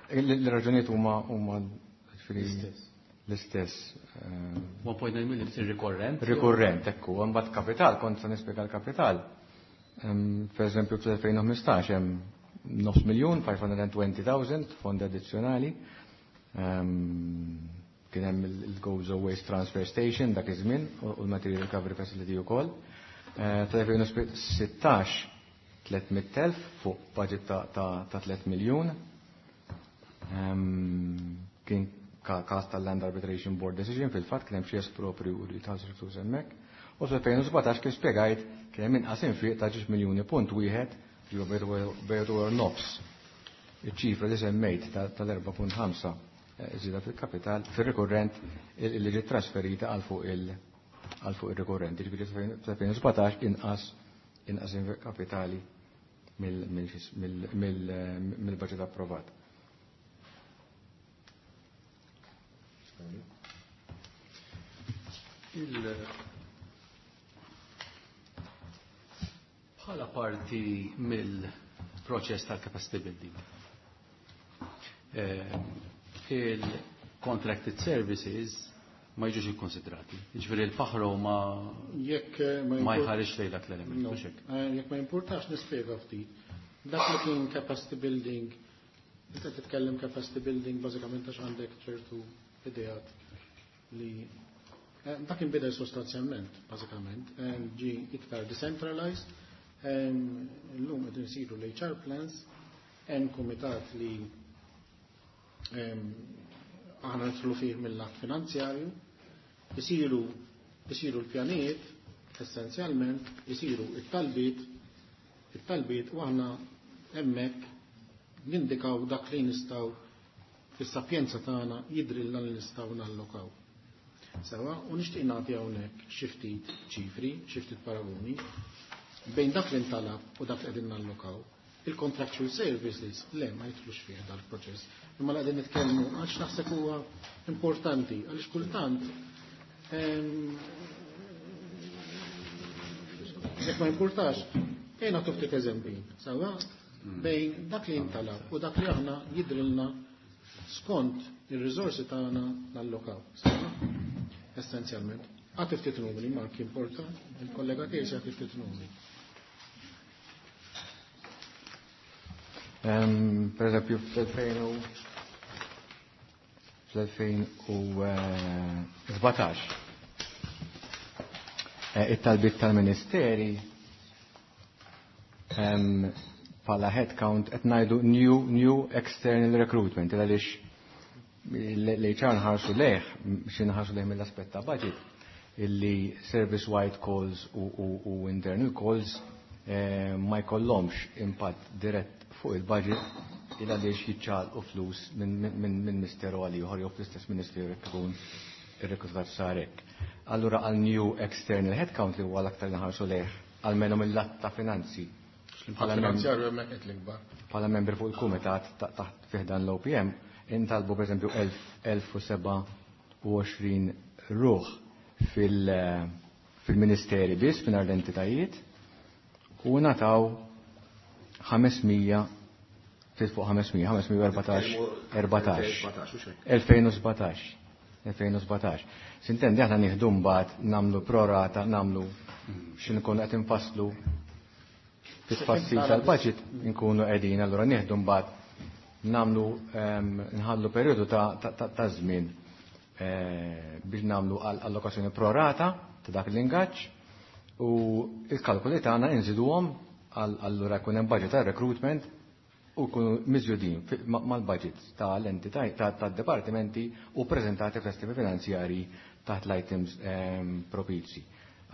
Il-raġunijiet huma huma l-istess. one point nine million ir-rikorrent. Rikorrent, ekku, mbagħad kapital, kont se nispjega l-kapital. Per eżempju, fl-elfejn u ħmistax hemm nofs miljun, five hundred twenty thousand fondi addizzjonali. Kien hemm il-Gozo Waste Transfer Station dak iż-żmien u l-Material Recovery Facility wkoll. Tal-elfejn u sittax tliet mitt elf fuq budget ta' tliet miljun. Kien każ tal-Land Arbitration Board Decision, fil-fatt kien hemm xi esproprju li tħallsu flus hemmhekk. U fl-elfejn u sbatax, kif spjegajt, kien hemm inqas infiq ta' ġiex miljuni punt wieħed, ġew bejtu nofs iċ-ċifra li semmejt tal-erbgħa punt ħamsa żieda fil-kapital fil-rikorrent li ġiet trasferita għal fuq il- għal fuq il-rikorrent. Ġifieri fl-elfejn u sbatax inqas inqas kapitali mill-budget approvat. Il Bħala parti mill-proċess tal-capacity building, Eh, il-contracted services ma jiġux ikkonsidrati. Jiġifieri l-faħro ma Jekk eh, ma jħarex lejn dak l-element. No. Mhux hekk. Eh, Jekk ma importax nispjega ftit. Dak li kien capacity building, inta titkellem capacity building bażikament għax għandek ċertu ideat li eh, dak inbidel sostanzjalment, bażikament, eh, ġi iktar decentralized, eh, illum qed insiru l-H R plans, hemm kumitat li em, aħna nidħlu fih mill-lat finanzjarju, isiru isiru l-pjanijiet, essenzjalment, isiru it-talbiet, it-talbiet u aħna hemmhekk nindikaw dak li nistgħu fis-sapjenza tagħna jidrilna li nistgħu nallokaw. Sewa, u nixtieq nagħti hawnhekk xi ftit ċifri, xi ftit paragoni bejn dak li ntalab u dak li qegħdin nallokaw. Il-contractual services le, ma jidħlux fih dal-proċess. Imma li qegħdin nitkellmu għax naħseb huwa importanti għaliex kultant em, jekk ma importax, ejja nagħtu ftit eżempji. Sewa, bejn dak li intalab u dak li aħna jidrilna skont ir-riżorsi tagħna nallokaw. Sewa, essenzjalment. Agħti ftit numri, Mark importa, il-kollega tiegħi se jagħti ftit numri. Per eżempju, fl-elfejn u sbatax, it-talbiet tal-ministeri bħala headcount qed ngħidu new, new external recruitment, għaliex l-H R nħarsu lejh, xi nħarsu lejh mill-aspett ta' budget, illi service-wide calls u, u, u internal calls eh, ma jkollhomx impatt dirett fuq il-budget il għaliex jiċċaqalqu flus minn, minn, minn, minn ministeru għal ieħor jew fl-istess ministeru jekk ikun ir-rekrutat sar hekk. Allura għal new external headcount li huwa l-aktar nħarsu lejh, almenu mill-lat ta' finanzi. Bħala finanzjarju hemmhekk qed l-ikbar. Bħala membri fuq il-kumitat taħt fih dan l-O P M intalbu pereżempju elf u seba' u għoxrin ruħ fil-, fil-ministeri biss mingħajr l-entitajiet u nataw ħamesmija, ftit fuq ħamesmija, ħamesmija u erbatax, erbatax. Elfejn u sbatax, elfejn u sbatax. Sintendi aħna nieħdu mbagħad nagħmlu prorata, nagħmlu xi nkunu qed infasslu fit-tfassil tal-budget nkunu qegħdin, allura nieħdu mbagħad nagħmlu, ehm, nħallu perjodu ta', ta', ta', ta' żmien, eh, biex nagħmlu allokazzjoni prorata ta' dak l-ingaġġ u il-kalkoli tagħna inżiduhom għal-, allura jkun hemm budget ta' recruitment u jkunu miżjudin fi-, ma-, mal-budget tal-entità, ta', tad-dipartimenti u preżentati fl-estimi finanzjarji taħt l-items, ehm, propizji.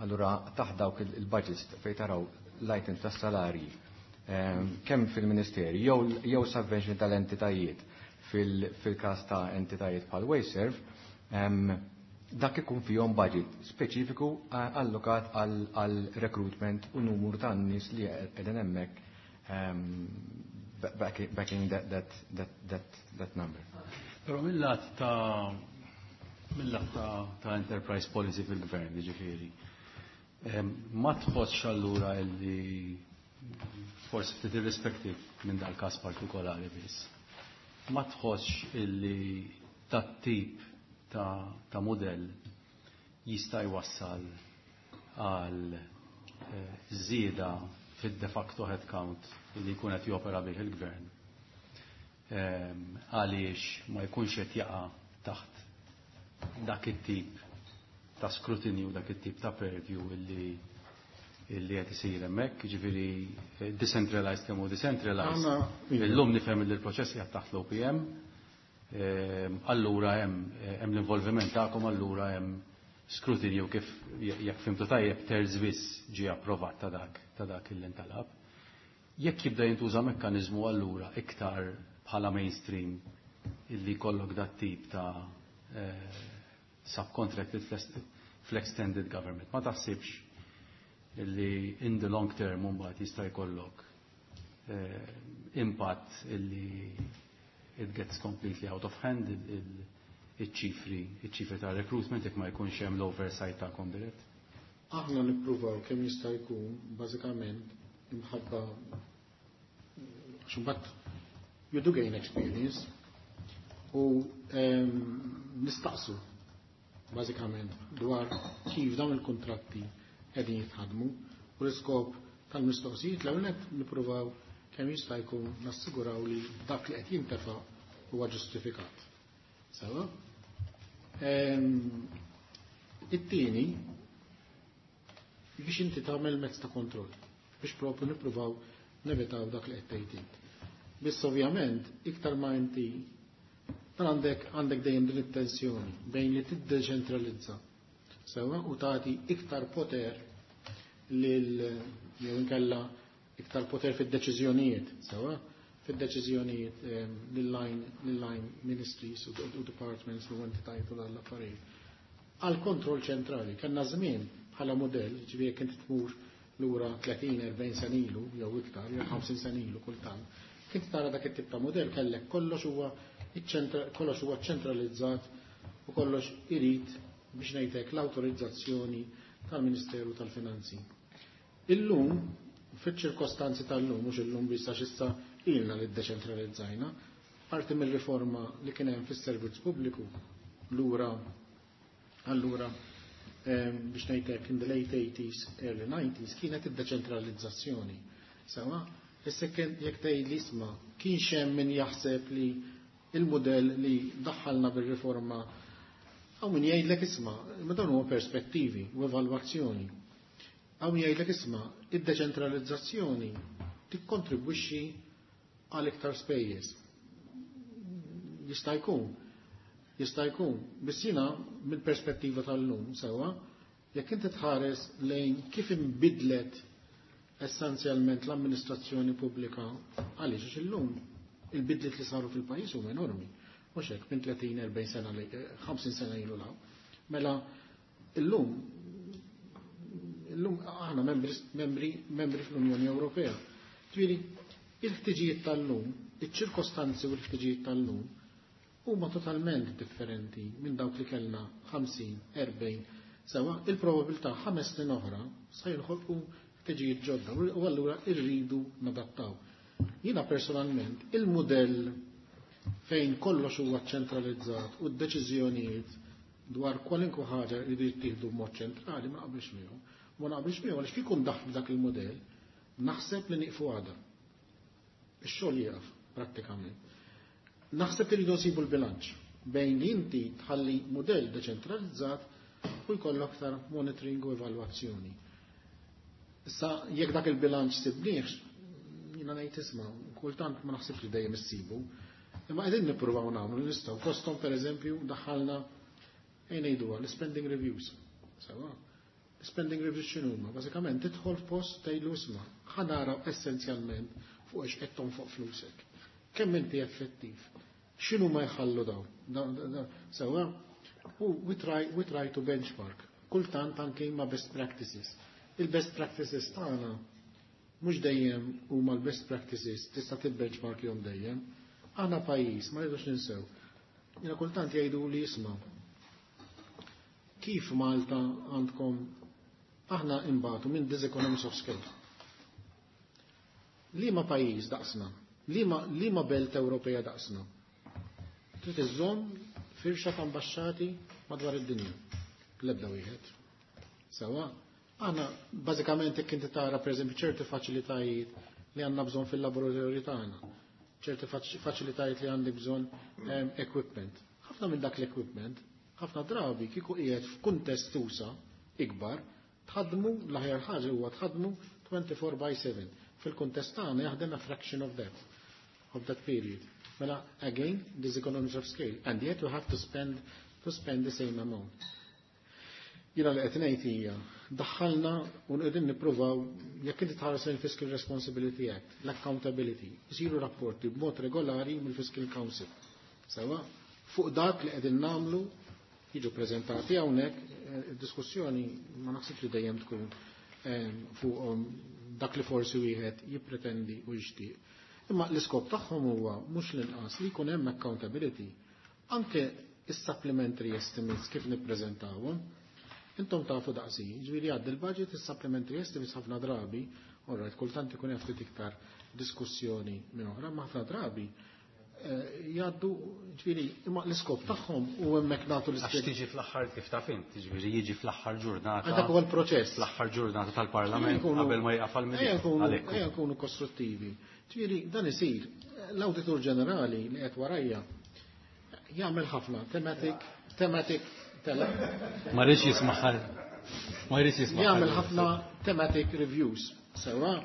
Allura taħt dawk il-, il-budgets fejn taraw l-items tas-salarji, ehm, kemm fil-ministeri jew, jew subvention tal-entitajiet fil-, fil-każ ta' entitajiet bħal WasteServ, ehm, dak ikun fihom budget speċifiku allokat għal, għal recruitment u numru ta' nies li qegħdin hemmhekk, ehm, backing, backing that, that, that, that, that number. Però mill-lat ta' mill-lat ta', ta' enterprise policy fil-gvern, jiġifieri, ehm, ma tħossx allura illi forsi ftit irrispettiv minn dal-każ partikolari biss, ma tħossx illi tat-tip ta', ta' modell jista' jwassal għal, eh, żieda fid-de facto headcount li jkun qed jopera bih il-gvern. Ehm, għaliex ma jkunx qed jaqa' taħt dak it-tip ta' skrutinju, dak it-tip ta' purview illi, illi qed isir hemmhekk, jiġifieri, eh, decentralized kemm hu decentralized. Aħna, iva. Illum nifhem li l-proċess qiegħed taħt l-O P M. Ehm, allura hemm, eh, hemm l-involviment tagħkom, allura hemm skrutinju kif jekk fimtu tajjeb terz biss ġie approvat ta' dak, ta' dak il intalab. Jekk jibda jintuża mekkaniżmu allura iktar bħala mainstream illi jkollok dat tip ta', eh, subcontracted fl-extended government, ma taħsibx illi in the long term mbagħad jista' jkollok, eh, impatt illi it gets completely out of hand il-, il-, iċ-ċifri, iċ-ċifri ta' recruitment jekk ma jkunx hemm l-oversight ta' dirett? Aħna nippruvaw kemm jista' jkun bażikament imħabba għax imbagħad you do gain experience u, ehm, nistaqsu bażikament dwar kif dawn il-kontratti qegħdin jitħadmu u l-iskop tal-mistoqsijiet l-ewwel nett nippruvaw kemm jista' jkun nassiguraw li dak li qed jintefa' huwa ġustifikat. Sewa? Ehm, it-tieni biex inti tagħmel mezz ta' kontroll biex propju nippruvaw nevitaw dak li qed tgħid int. Biss ovvjament iktar ma inti dan għandek, għandek dejjem din it-tensjoni bejn li tiddeċentralizza sewa u tagħti iktar poter lil jew inkella iktar poter fid-deċiżjonijiet sewa fid-deċiżjonijiet, ehm, lil-line, lil-line ministries u, u departments u entitajiet u dal-affarijiet. Għal kontroll ċentrali, kellna żmien bħala modell, ġifieri jekk inti tmur lura tletin, erbgħin sena ilu, jew iktar, jew ħamsin sena ilu kultant, kint tara dak it-tip ta' modell kellek kollox huwa iċ-ċentra-, kollox huwa ċentralizzat u kollox irid biex ngħidlek l-awtorizzazzjoni tal-Ministeru tal-Finanzi. Illum, fiċ-ċirkostanzi tal-lum, mhux illum biss għax issa ilna li ddeċentralizzajna, parti mill-riforma li kien hemm fis-servizz pubbliku lura allura biex ngħidlek in the late eighties, early nineties, kienet id-deċentralizzazzjoni. Sewa, issa jekk tgħid li isma' kienx hemm min jaħseb li il-modell li daħħalna bir-riforma, hawn min jgħidlek isma', imma dawn huma perspettivi u evalwazzjoni. Hawn min jgħidlek isma', id-deċentralizzazzjoni tikkontribwixxi għal iktar spejjeż. Jista' jkun. Jista' jkun. Biss jiena mill-perspettiva tal-lum sewwa, jekk inti tħares lejn kif inbidlet essenzjalment l-amministrazzjoni pubblika, għaliex għax illum il-bidliet li saru fil-pajjiż huma enormi. Mhux hekk minn tletin, erbgħin sena li ħamsin sena ilu law. Mela illum illum aħna membri, membri, membri fl-Unjoni Ewropea. Ġifieri, il-ħtiġijiet tal-lum, iċ-ċirkostanzi u l-ħtiġijiet tal-lum huma totalment differenti minn dawk li kellna ħamsin, erbgħin, sewa il-probabilità ħames snin oħra sa jinħolqu ħtiġijiet ġodda u allura rridu nadattaw. Jiena personalment il-mudell fejn kollox huwa ċentralizzat u d-deċiżjonijiet dwar kwalinkwe ħaġa jridu jittieħdu b'mod ċentrali ma naqbilx miegħu. Ma naqbilx miegħu għaliex kieku ndaħħlu dak il-mudell naħseb li nieqfu għada. Ix-xogħol jieqaf prattikament. Naħseb li rridu nsibu l-bilanċ bejn li inti tħalli mudell deċentralizzat u jkollok aktar monitoring u evalwazzjoni. Issa jekk dak il-bilanċ sibniex, jiena ngħid isma', kultant ma naħsibx li dejjem issibu, imma qegħdin nippruvaw nagħmlu li nistgħu. Fosthom pereżempju daħħalna ejn ngħiduha l-spending reviews. Sewa. Spending reviews x'inhuma? Bażikament tidħol f'post tgħidlu isma', ħa naraw essenzjalment fuq ix qed tonfoq flusek. Kemm inti effettiv? X'inhu ma jħallu daw? Sewa, u we try, we try to benchmark. Kultant anke ma' best practices. Il-best practices tagħna mhux dejjem huma l-best practices tista' tibbenchmark jom dejjem. Aħna pajjiż ma rridux ninsew. Jiena kultant jgħidu li isma' kif Malta għandkom aħna imbagħtu minn diseconomies of scale. Liema pajjiż daqsna, liema, liema belt Ewropea daqsna. Trid iżżomm firxa ta' ambaxxati madwar id-dinja. L-ebda wieħed. Sewa, aħna bażikament jekk inti tara pereżempju ċerti faċilitajiet li għandna bżonn fil-laboratorju tagħna, ċerti faċilitajiet li għandek bżonn equipment. Ħafna minn dak l-equipment, ħafna drabi kieku qiegħed f'kuntest usa ikbar, tħaddmu l-aħjar ħaġa huwa tħaddmu twenty-four by seven. Fil-kuntest tagħna jaħdem a fraction of that, of that period. Mela, again, this economies of scale, and yet we have to spend, to spend the same amount. Jiena li qed ngħid hija, daħħalna u qegħdin nippruvaw, jekk inti tħares lejn Fiscal Responsibility Act, l-accountability, isiru rapporti b'mod regolari mill-Fiscal Council. Sewa, fuq dak li qegħdin nagħmlu jiġu preżentati hawnhekk, id-diskussjoni ma naħsibx li dejjem tkun fuq dak li forsi wieħed jippretendi u jixtieq. Imma l-iskop tagħhom huwa mhux l-inqas li jkun hemm accountability anke is-supplementary estimates kif nippreżentawhom. Intom tafu daqsi, ġifieri għaddi l-budget is-supplementary estimates ħafna drabi, all right, kultant ikun hemm ftit iktar diskussjoni minn oħra, ma ħafna drabi jgħaddu, ġifieri, imma l-iskop tagħhom u hemmhekk nagħtu l-iskop. Għax tiġi fl-aħħar kif taf int, ġifieri jiġi fl-aħħar ġurnata. Dak huwa l-proċess. Fl-aħħar ġurnata tal-Parlament qabel ma jaqaf għall-Milied. Ejja nkunu, ejja nkunu kostruttivi. Ġifieri dan isir. L-Awditur Ġenerali li qed warajja jagħmel ħafna thematic, thematic tela. Ma rridx jisma' ma rridx jisma' Jagħmel ħafna thematic reviews. Sewa.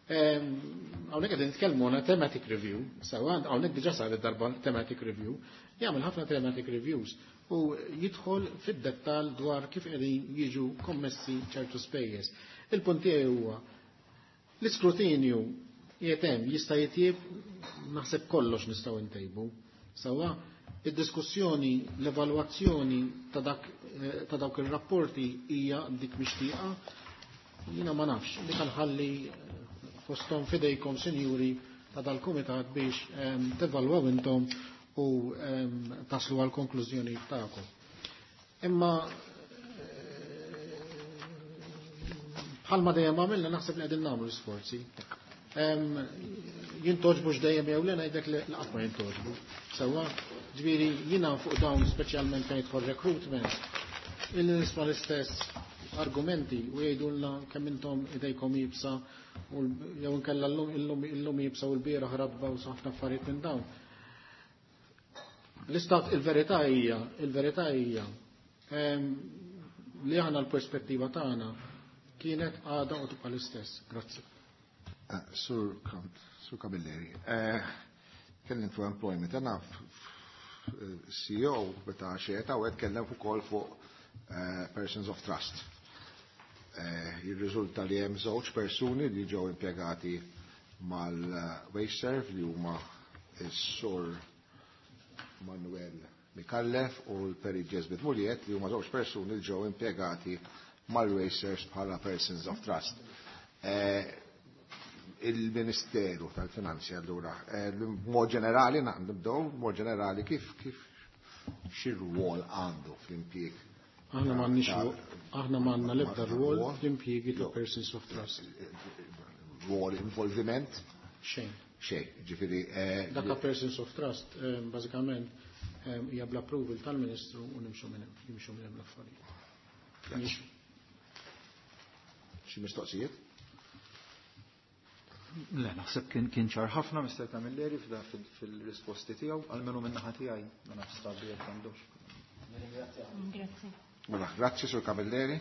Hawnhekk qed nitkellmu għandna thematic review, sewa hawnhekk diġà saret darba thematic review, jagħmel ħafna thematic reviews u jidħol fid-dettall dwar kif qegħdin jiġu kommessi ċertu spejjeż. Il-punt tiegħi huwa l-iskrutinju qiegħed hemm jista' jitjieb, naħseb kollox nistgħu ntejbu. Sewa id-diskussjoni, l-evalwazzjoni ta' dak, ta' dawk ir-rapporti hija dik mixtieqa, jiena ma nafx, dik nħalli fosthom fidejkom, sinjuri, ta' dal-kumitat biex tevalwaw intom u taslu għal konklużjoni tagħkom. Imma bħalma dejjem għamilna naħseb li qegħdin nagħmlu sforzi. Jintoġbux dejjem jew le ngħidlek li qatt ma jintoġbu. Sewwa, ġifieri jiena fuq dawn speċjalment fejn jidħol recruitment, Illi nisma' l-istess argumenti u jgħidulna kemm intom idejkom iebsa u jew inkella llum illum iebsa u l-bieraħ ratba u ħafna affarijiet minn dawn. L-istat il-verità hija, il-verità hija li aħna l-perspettiva tagħna kienet għada u tibqa' l-istess. Grazzi. Sur Sur Camilleri, kellim fuq employment, għana C E O meta xeta u kellem ukoll fuq persons of trust. Jirriżulta li hemm żewġ persuni li ġew impjegati mal-WasteServ li huma s-Sur Manuel Mikallef u l-Peri Jesbit Muliet li huma żewġ persuni li ġew impjegati mal-WasteServ bħala persons of trust. Il-Ministeru tal-Finanzi allura, mod ġenerali nibdew mod ġenerali kif kif xi rwol għandu fl-impjieg. Aħna m'għandniex aħna m'għandna l-ebda rwol fl-impjiegi ta' persons of trust. Rwol involviment? Xejn. Xejn, ġifieri. Dak ta' persons of trust bażikament hija bl-approval tal-Ministru u nimxu minn hemm, jimxu minn hemm l-affarijiet. Xi mistoqsijiet? Le, naħseb kien kien ċar ħafna Mister Camilleri fil-risposti tiegħu, almenu minn naħa tiegħi, ma nafx sabi jekk għandux. Grazzi. Mela, grazzi Sur Camilleri.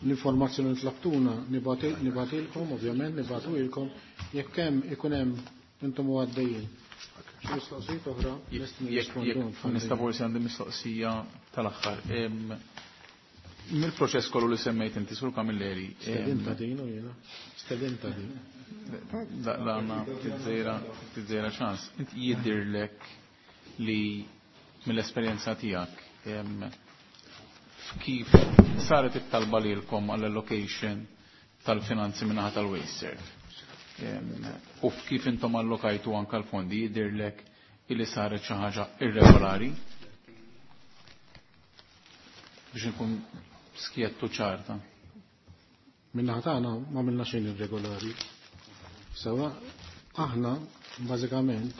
L-informazzjoni li tlabtuna nibatilkom, ovvjament nibatuilkom, jekk hemm ikun hemm intom u għaddejjin. Xi mistoqsijiet oħra lest nirrispondu. Nista' forsi għandi mistoqsija tal-aħħar. Mill-proċess kollu li semmejt inti Sur Camilleri. Stedinta din u jiena. Stedinta din. Daqlana tiżejra ċans. Inti jidhirlek li mill-esperjenza tiegħek kif saret it-talba lilkom għall-allocation tal-finanzi min-naħa tal-WasteServ. U kif intom allokajtu anke l-fondi jidhirlek illi saret xi ħaġa irregolari biex nkun skjettu ċarta. Min-naħa tagħna ma għamilna xejn irregolari. Sewa aħna bażikament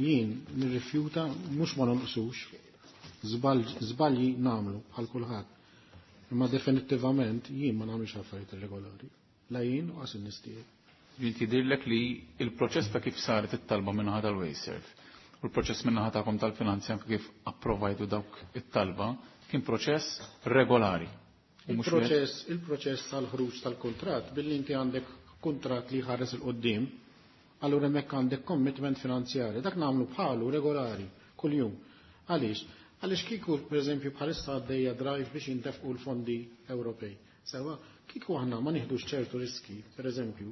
jien nirrifjuta mhux ma nonqsux, żbalji nagħmlu bħal kulħadd. Imma definittivament jien ma nagħmilx affarijiet irregolari. La jien u qas in-nies tiegħi. Jien tidhirlek li il-proċess ta' kif saret it-talba min-naħa tal-WasteServ u l-proċess min-naħa tagħkom tal-finanzi anke kif approvajtu dawk it-talba kien proċess regolari. Il-proċess, il-proċess tal-ħruġ tal-kuntratt billi inti għandek kuntratt li ħares il-qoddim, allura hemmhekk għandek commitment finanzjari. Dak nagħmlu bħalu regolari kuljum. Għaliex? Għaliex kieku pereżempju bħalissa għaddejja drive biex jintefqu l-fondi Ewropej. Sewa, kieku aħna ma nieħdux ċertu riski, pereżempju,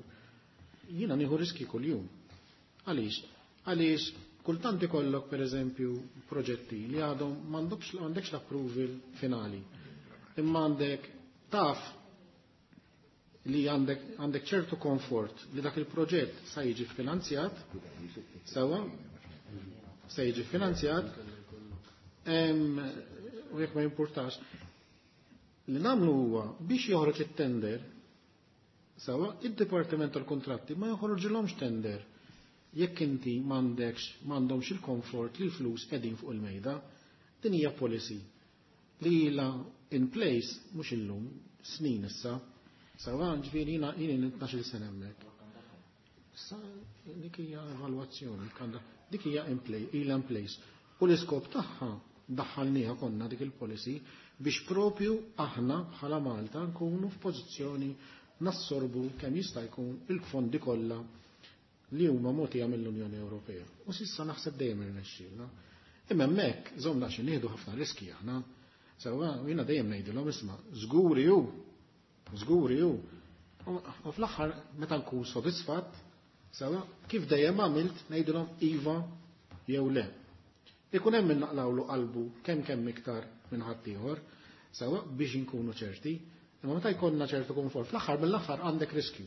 jiena nieħu riski kuljum. Għaliex? Għaliex kultant ikollok pereżempju proġetti li għadhom m'għandekx m'għandekx l-approval finali. Imma għandek taf li għandek, għandek ċertu komfort li dak il-proġett sa jiġi finanzjat, sewa, sa jiġi finanzjat, u jekk ma jimpurtax, li nagħmlu huwa biex joħroġ it-tender, sewa, id-Dipartiment tal-Kuntratti ma joħroġilhomx tender jekk inti m'għandekx, m'għandhomx il-komfort li l-flus qegħdin fuq il-mejda. Din hija policy li ilha in place mhux illum, snin issa. Sewa, ġifieri jiena jien tnax-il sena hemmhekk. Issa dik hija evalwazzjoni, dik hija in place, ilha in place. U l-iskop tagħha daħħalniha konna dik il-policy biex propju aħna bħala Malta nkunu f'pożizzjoni nassorbu kemm jista' jkun il-fondi kollha li huma mogħtija mill-Unjoni Ewropea. U s'issa naħseb dejjem irnexxielna. Imma hemmhekk żomna xi nieħdu ħafna riski aħna. Sewwa jiena dejjem ngħidilhom isma' żguri hu, żguri hu. U fl-aħħar meta nkun sodisfatt, sewwa kif dejjem għamilt ngħidilhom iva jew le. Ikun hemm min naqlawlu qalbu kemm kemm iktar minn ħaddieħor, sewwa biex inkunu ċerti, imma meta jkollna ċertu komfort, fl-aħħar mill-aħħar għandek riskju.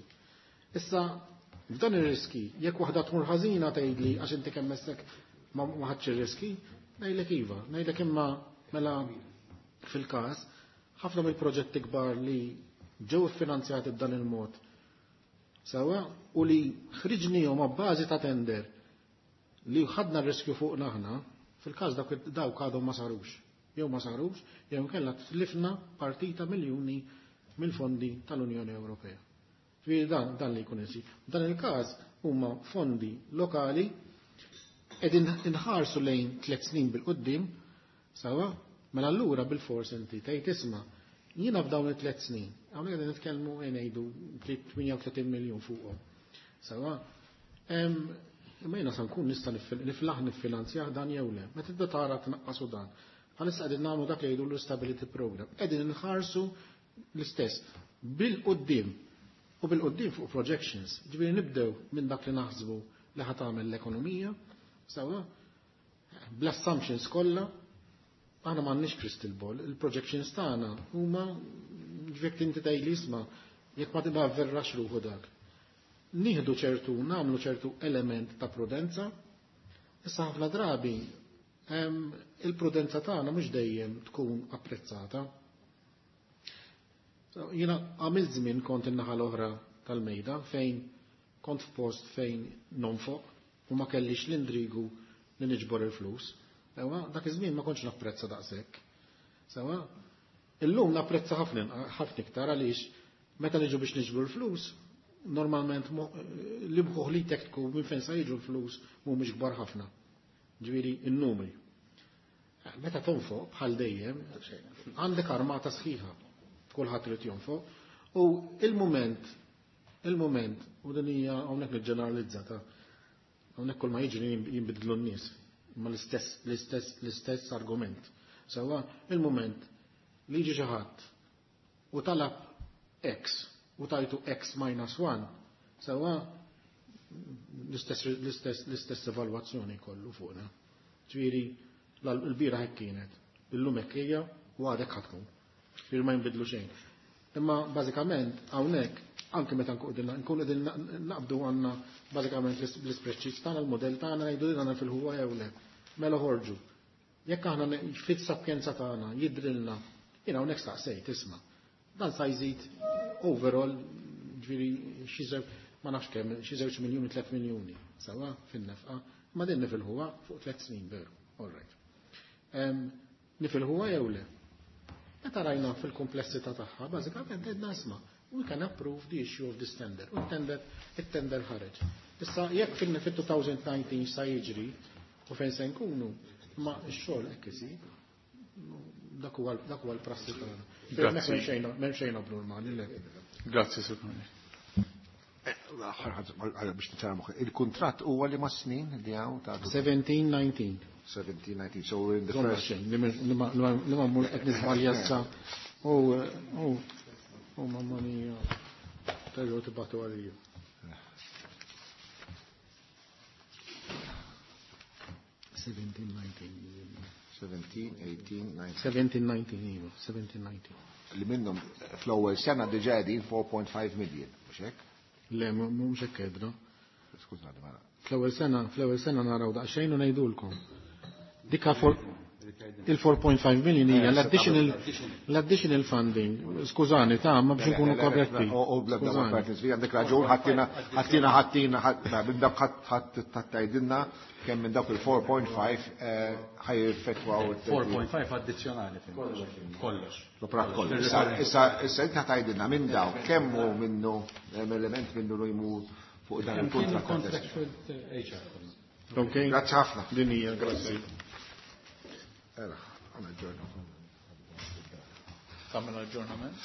Issa f'dan ir-riski, jekk waħda tmur ħażina tgħidli għax inti kemm messek ma ħadx ir-riski, ngħidlek iva, ngħidlek imma mela fil-każ ħafna mill-proġetti kbar li ġew iffinanzjati b'dan il-mod sewwa u li ħriġnihom ma' bażi ta' tender li ħadna r-riskju fuqna aħna, fil-każ dawk dawk għadhom ma sarux. Jew ma sarux, jew inkella tlifna partita miljuni mill-fondi tal-Unjoni Ewropea. Ġifieri dan, dan li jkun isir. Dan il-każ huma fondi lokali qegħdin inħarsu lejn tliet snin bil-quddiem, sawa, mela allura bil-fors inti tgħid isma' jiena f'dawn it-tliet snin, hawnhekk qegħdin nitkellmu ngħidu tmienja u tletin miljun fuqhom. Sawa, imma jiena sa nkun nista' niflaħ niffinanzjah dan jew le. Meta tibda tara tnaqqasu dan. Bħalissa qegħdin nagħmlu dak li jgħidu l-stability program. Qegħdin inħarsu l-istess bil-quddiem u bil-quddiem fuq projections. Ġifieri nibdew minn dak li naħsbu li ħa tagħmel l-ekonomija, sawa, bl-assumptions kollha, aħna m'għandniex crystal ball, il-projections tagħna huma ġifieri inti tgħidli isma' jekk ma tibqa' verrax ruħu dak. Nieħdu ċertu, nagħmlu ċertu element ta' prudenza, issa ħafna drabi il-prudenza tagħna mhux dejjem tkun apprezzata. Jiena għamilt żmien kont in-naħa l-oħra tal-mejda fejn kont f'post fejn nonfoq u ma kellix l-indrigu li niġbor il-flus. Sewa, dak iż-żmien ma kontx napprezza daqshekk. Sewa, illum napprezza ħafna ħafna iktar għaliex meta niġu biex niġbru l-flus, normalment li mħuħ li tektku minn fejn sa jiġu l-flus mhumiex kbar ħafna. Ġifieri n-numri. Meta tonfoq bħal dejjem għandek armata sħiħa, kulħadd irid jonfoq, u il-mument, il-mument, u din hija hawnhekk niġġeneralizzata, hawnhekk kull ma jiġri jinbidlu n-nies, ma l-istess, l-istess, l-istess argument. Sewa, il-mument li jiġi xi ħadd u talab X u tajtu X minus one, sewa l-istess, l-istess, l-istess evalwazzjoni kollu fuqna. Ġifieri l-bira hekk kienet, illum hekk hija u għadek ħa tkun. Ġifieri ma jinbidlu xejn. Imma bażikament hawnhekk anke meta nkunu qegħdin naqbdu għandna bażikament l-ispreadsheets tagħna, l-modell tagħna ngħidu li għandna fil-ħuwa jew le. Mela ħorġu. Jekk aħna fit-sapjenza tagħna jidrilna, jiena hawnhekk staqsejt isma'. Dan sa jżid overall ġifieri xi żewġ ma nafx kemm, xi żewġ miljuni, tliet miljuni, sawa fin-nefqa, ma din nifilħuha fuq tliet snin veru. All right. Nifilħuha jew le? Meta rajna fil-komplessità tagħha, bażikament għedna isma' we can approve the issue of this tender. U t-tender, it-tender ħareġ. Issa jekk fil-twenty nineteen sa jiġri u fejn se nkunu, ma x-xogħol hekk isir. Dak huwa dak huwa l-prassi tagħna. M'hemm xejn abnormali le. Grazzi, Sur Camilleri. Biex niċċara moħħi, il-kuntratt huwa li ma' snin li hawn ta' seventeen nineteen. seventeen nineteen, so we're in the first. Li ma mmur qed niżbalja issa. U u u mamma mia, terġgħu tibgħatu għalija. Seventeen nineteen. Seventeen, eighteen, nineteen. Seventeen nineteen, iva, seventeen nineteen. Li minnhom fl-ewwel sena diġà qegħdin four point five million, mhux hekk? Le, mhux hekk għedna. Skużani, ma Fl-ewwel sena, fl-ewwel sena naraw daqsxejn u ngħidulkom. Dikka for il four point five million hija l-additional, l-additional funding. Skużani, ta' ma biex nkunu korretti. U bla bla ma għandek raġun, ħattina, ħattina, ħattina, ħattina, minn dak ħadd, ħadd tgħidilna kemm minn dak il four point five, eh, ħajjeffettwaw it- four point five addizzjonali. Kollox. Sopra kollox. Issa, issa, issa inti ħatajdilna minn daw kemm hu minnu, hemm element minnu li jmur fuq dan il-contract. Contract with H R. Ok. Grazzi ħafna. Din hija, grazzi. Era, għamel aġġornament. Tagħmel aġġornament?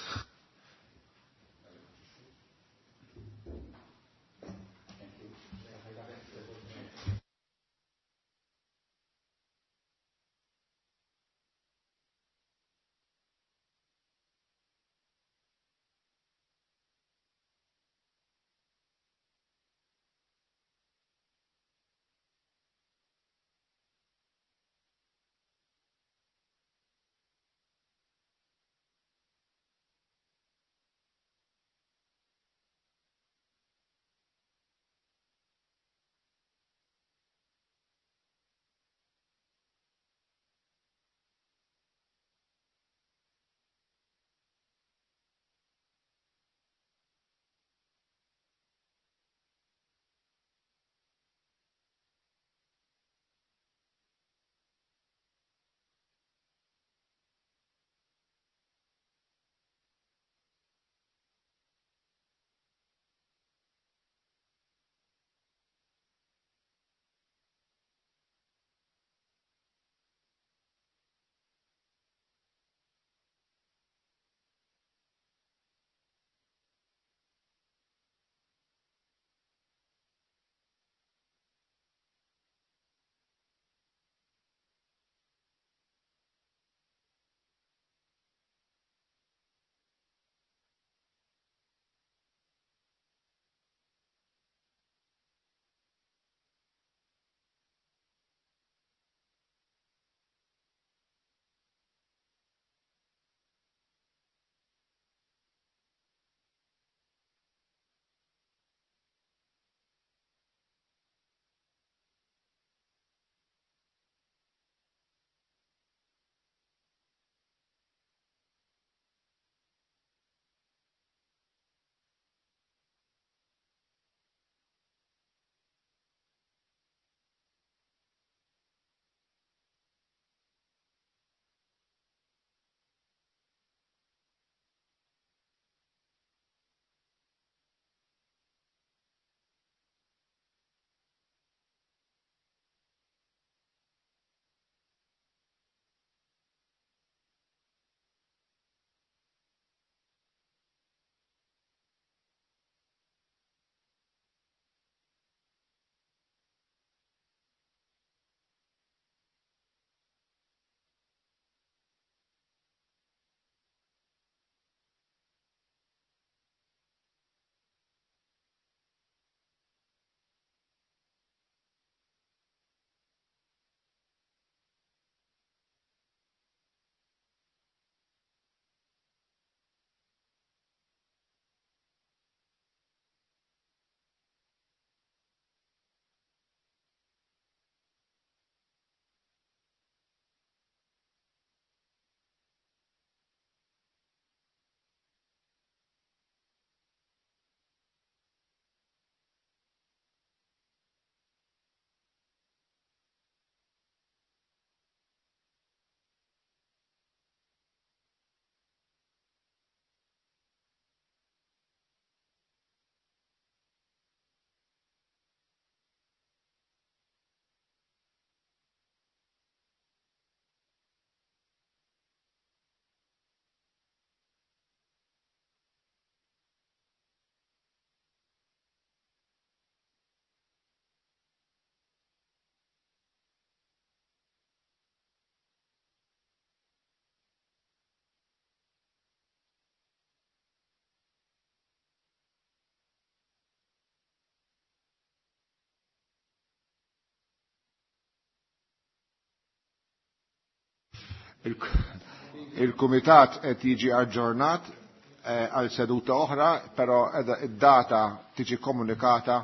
Il-kumitat qed jiġi aġġornat eh, għal seduta oħra, però id-data tiġi komunikata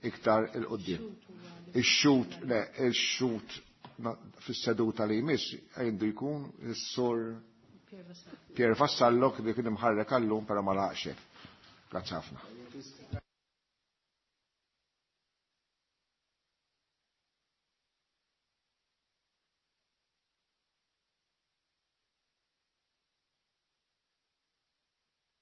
iktar il-qoddim. Ix-xut, le, ix-xut fis-seduta li jmiss għandu jkun is-sur Pier Vassallo li kien imħarrek għallum però ma laqx. Grazzi ħafna.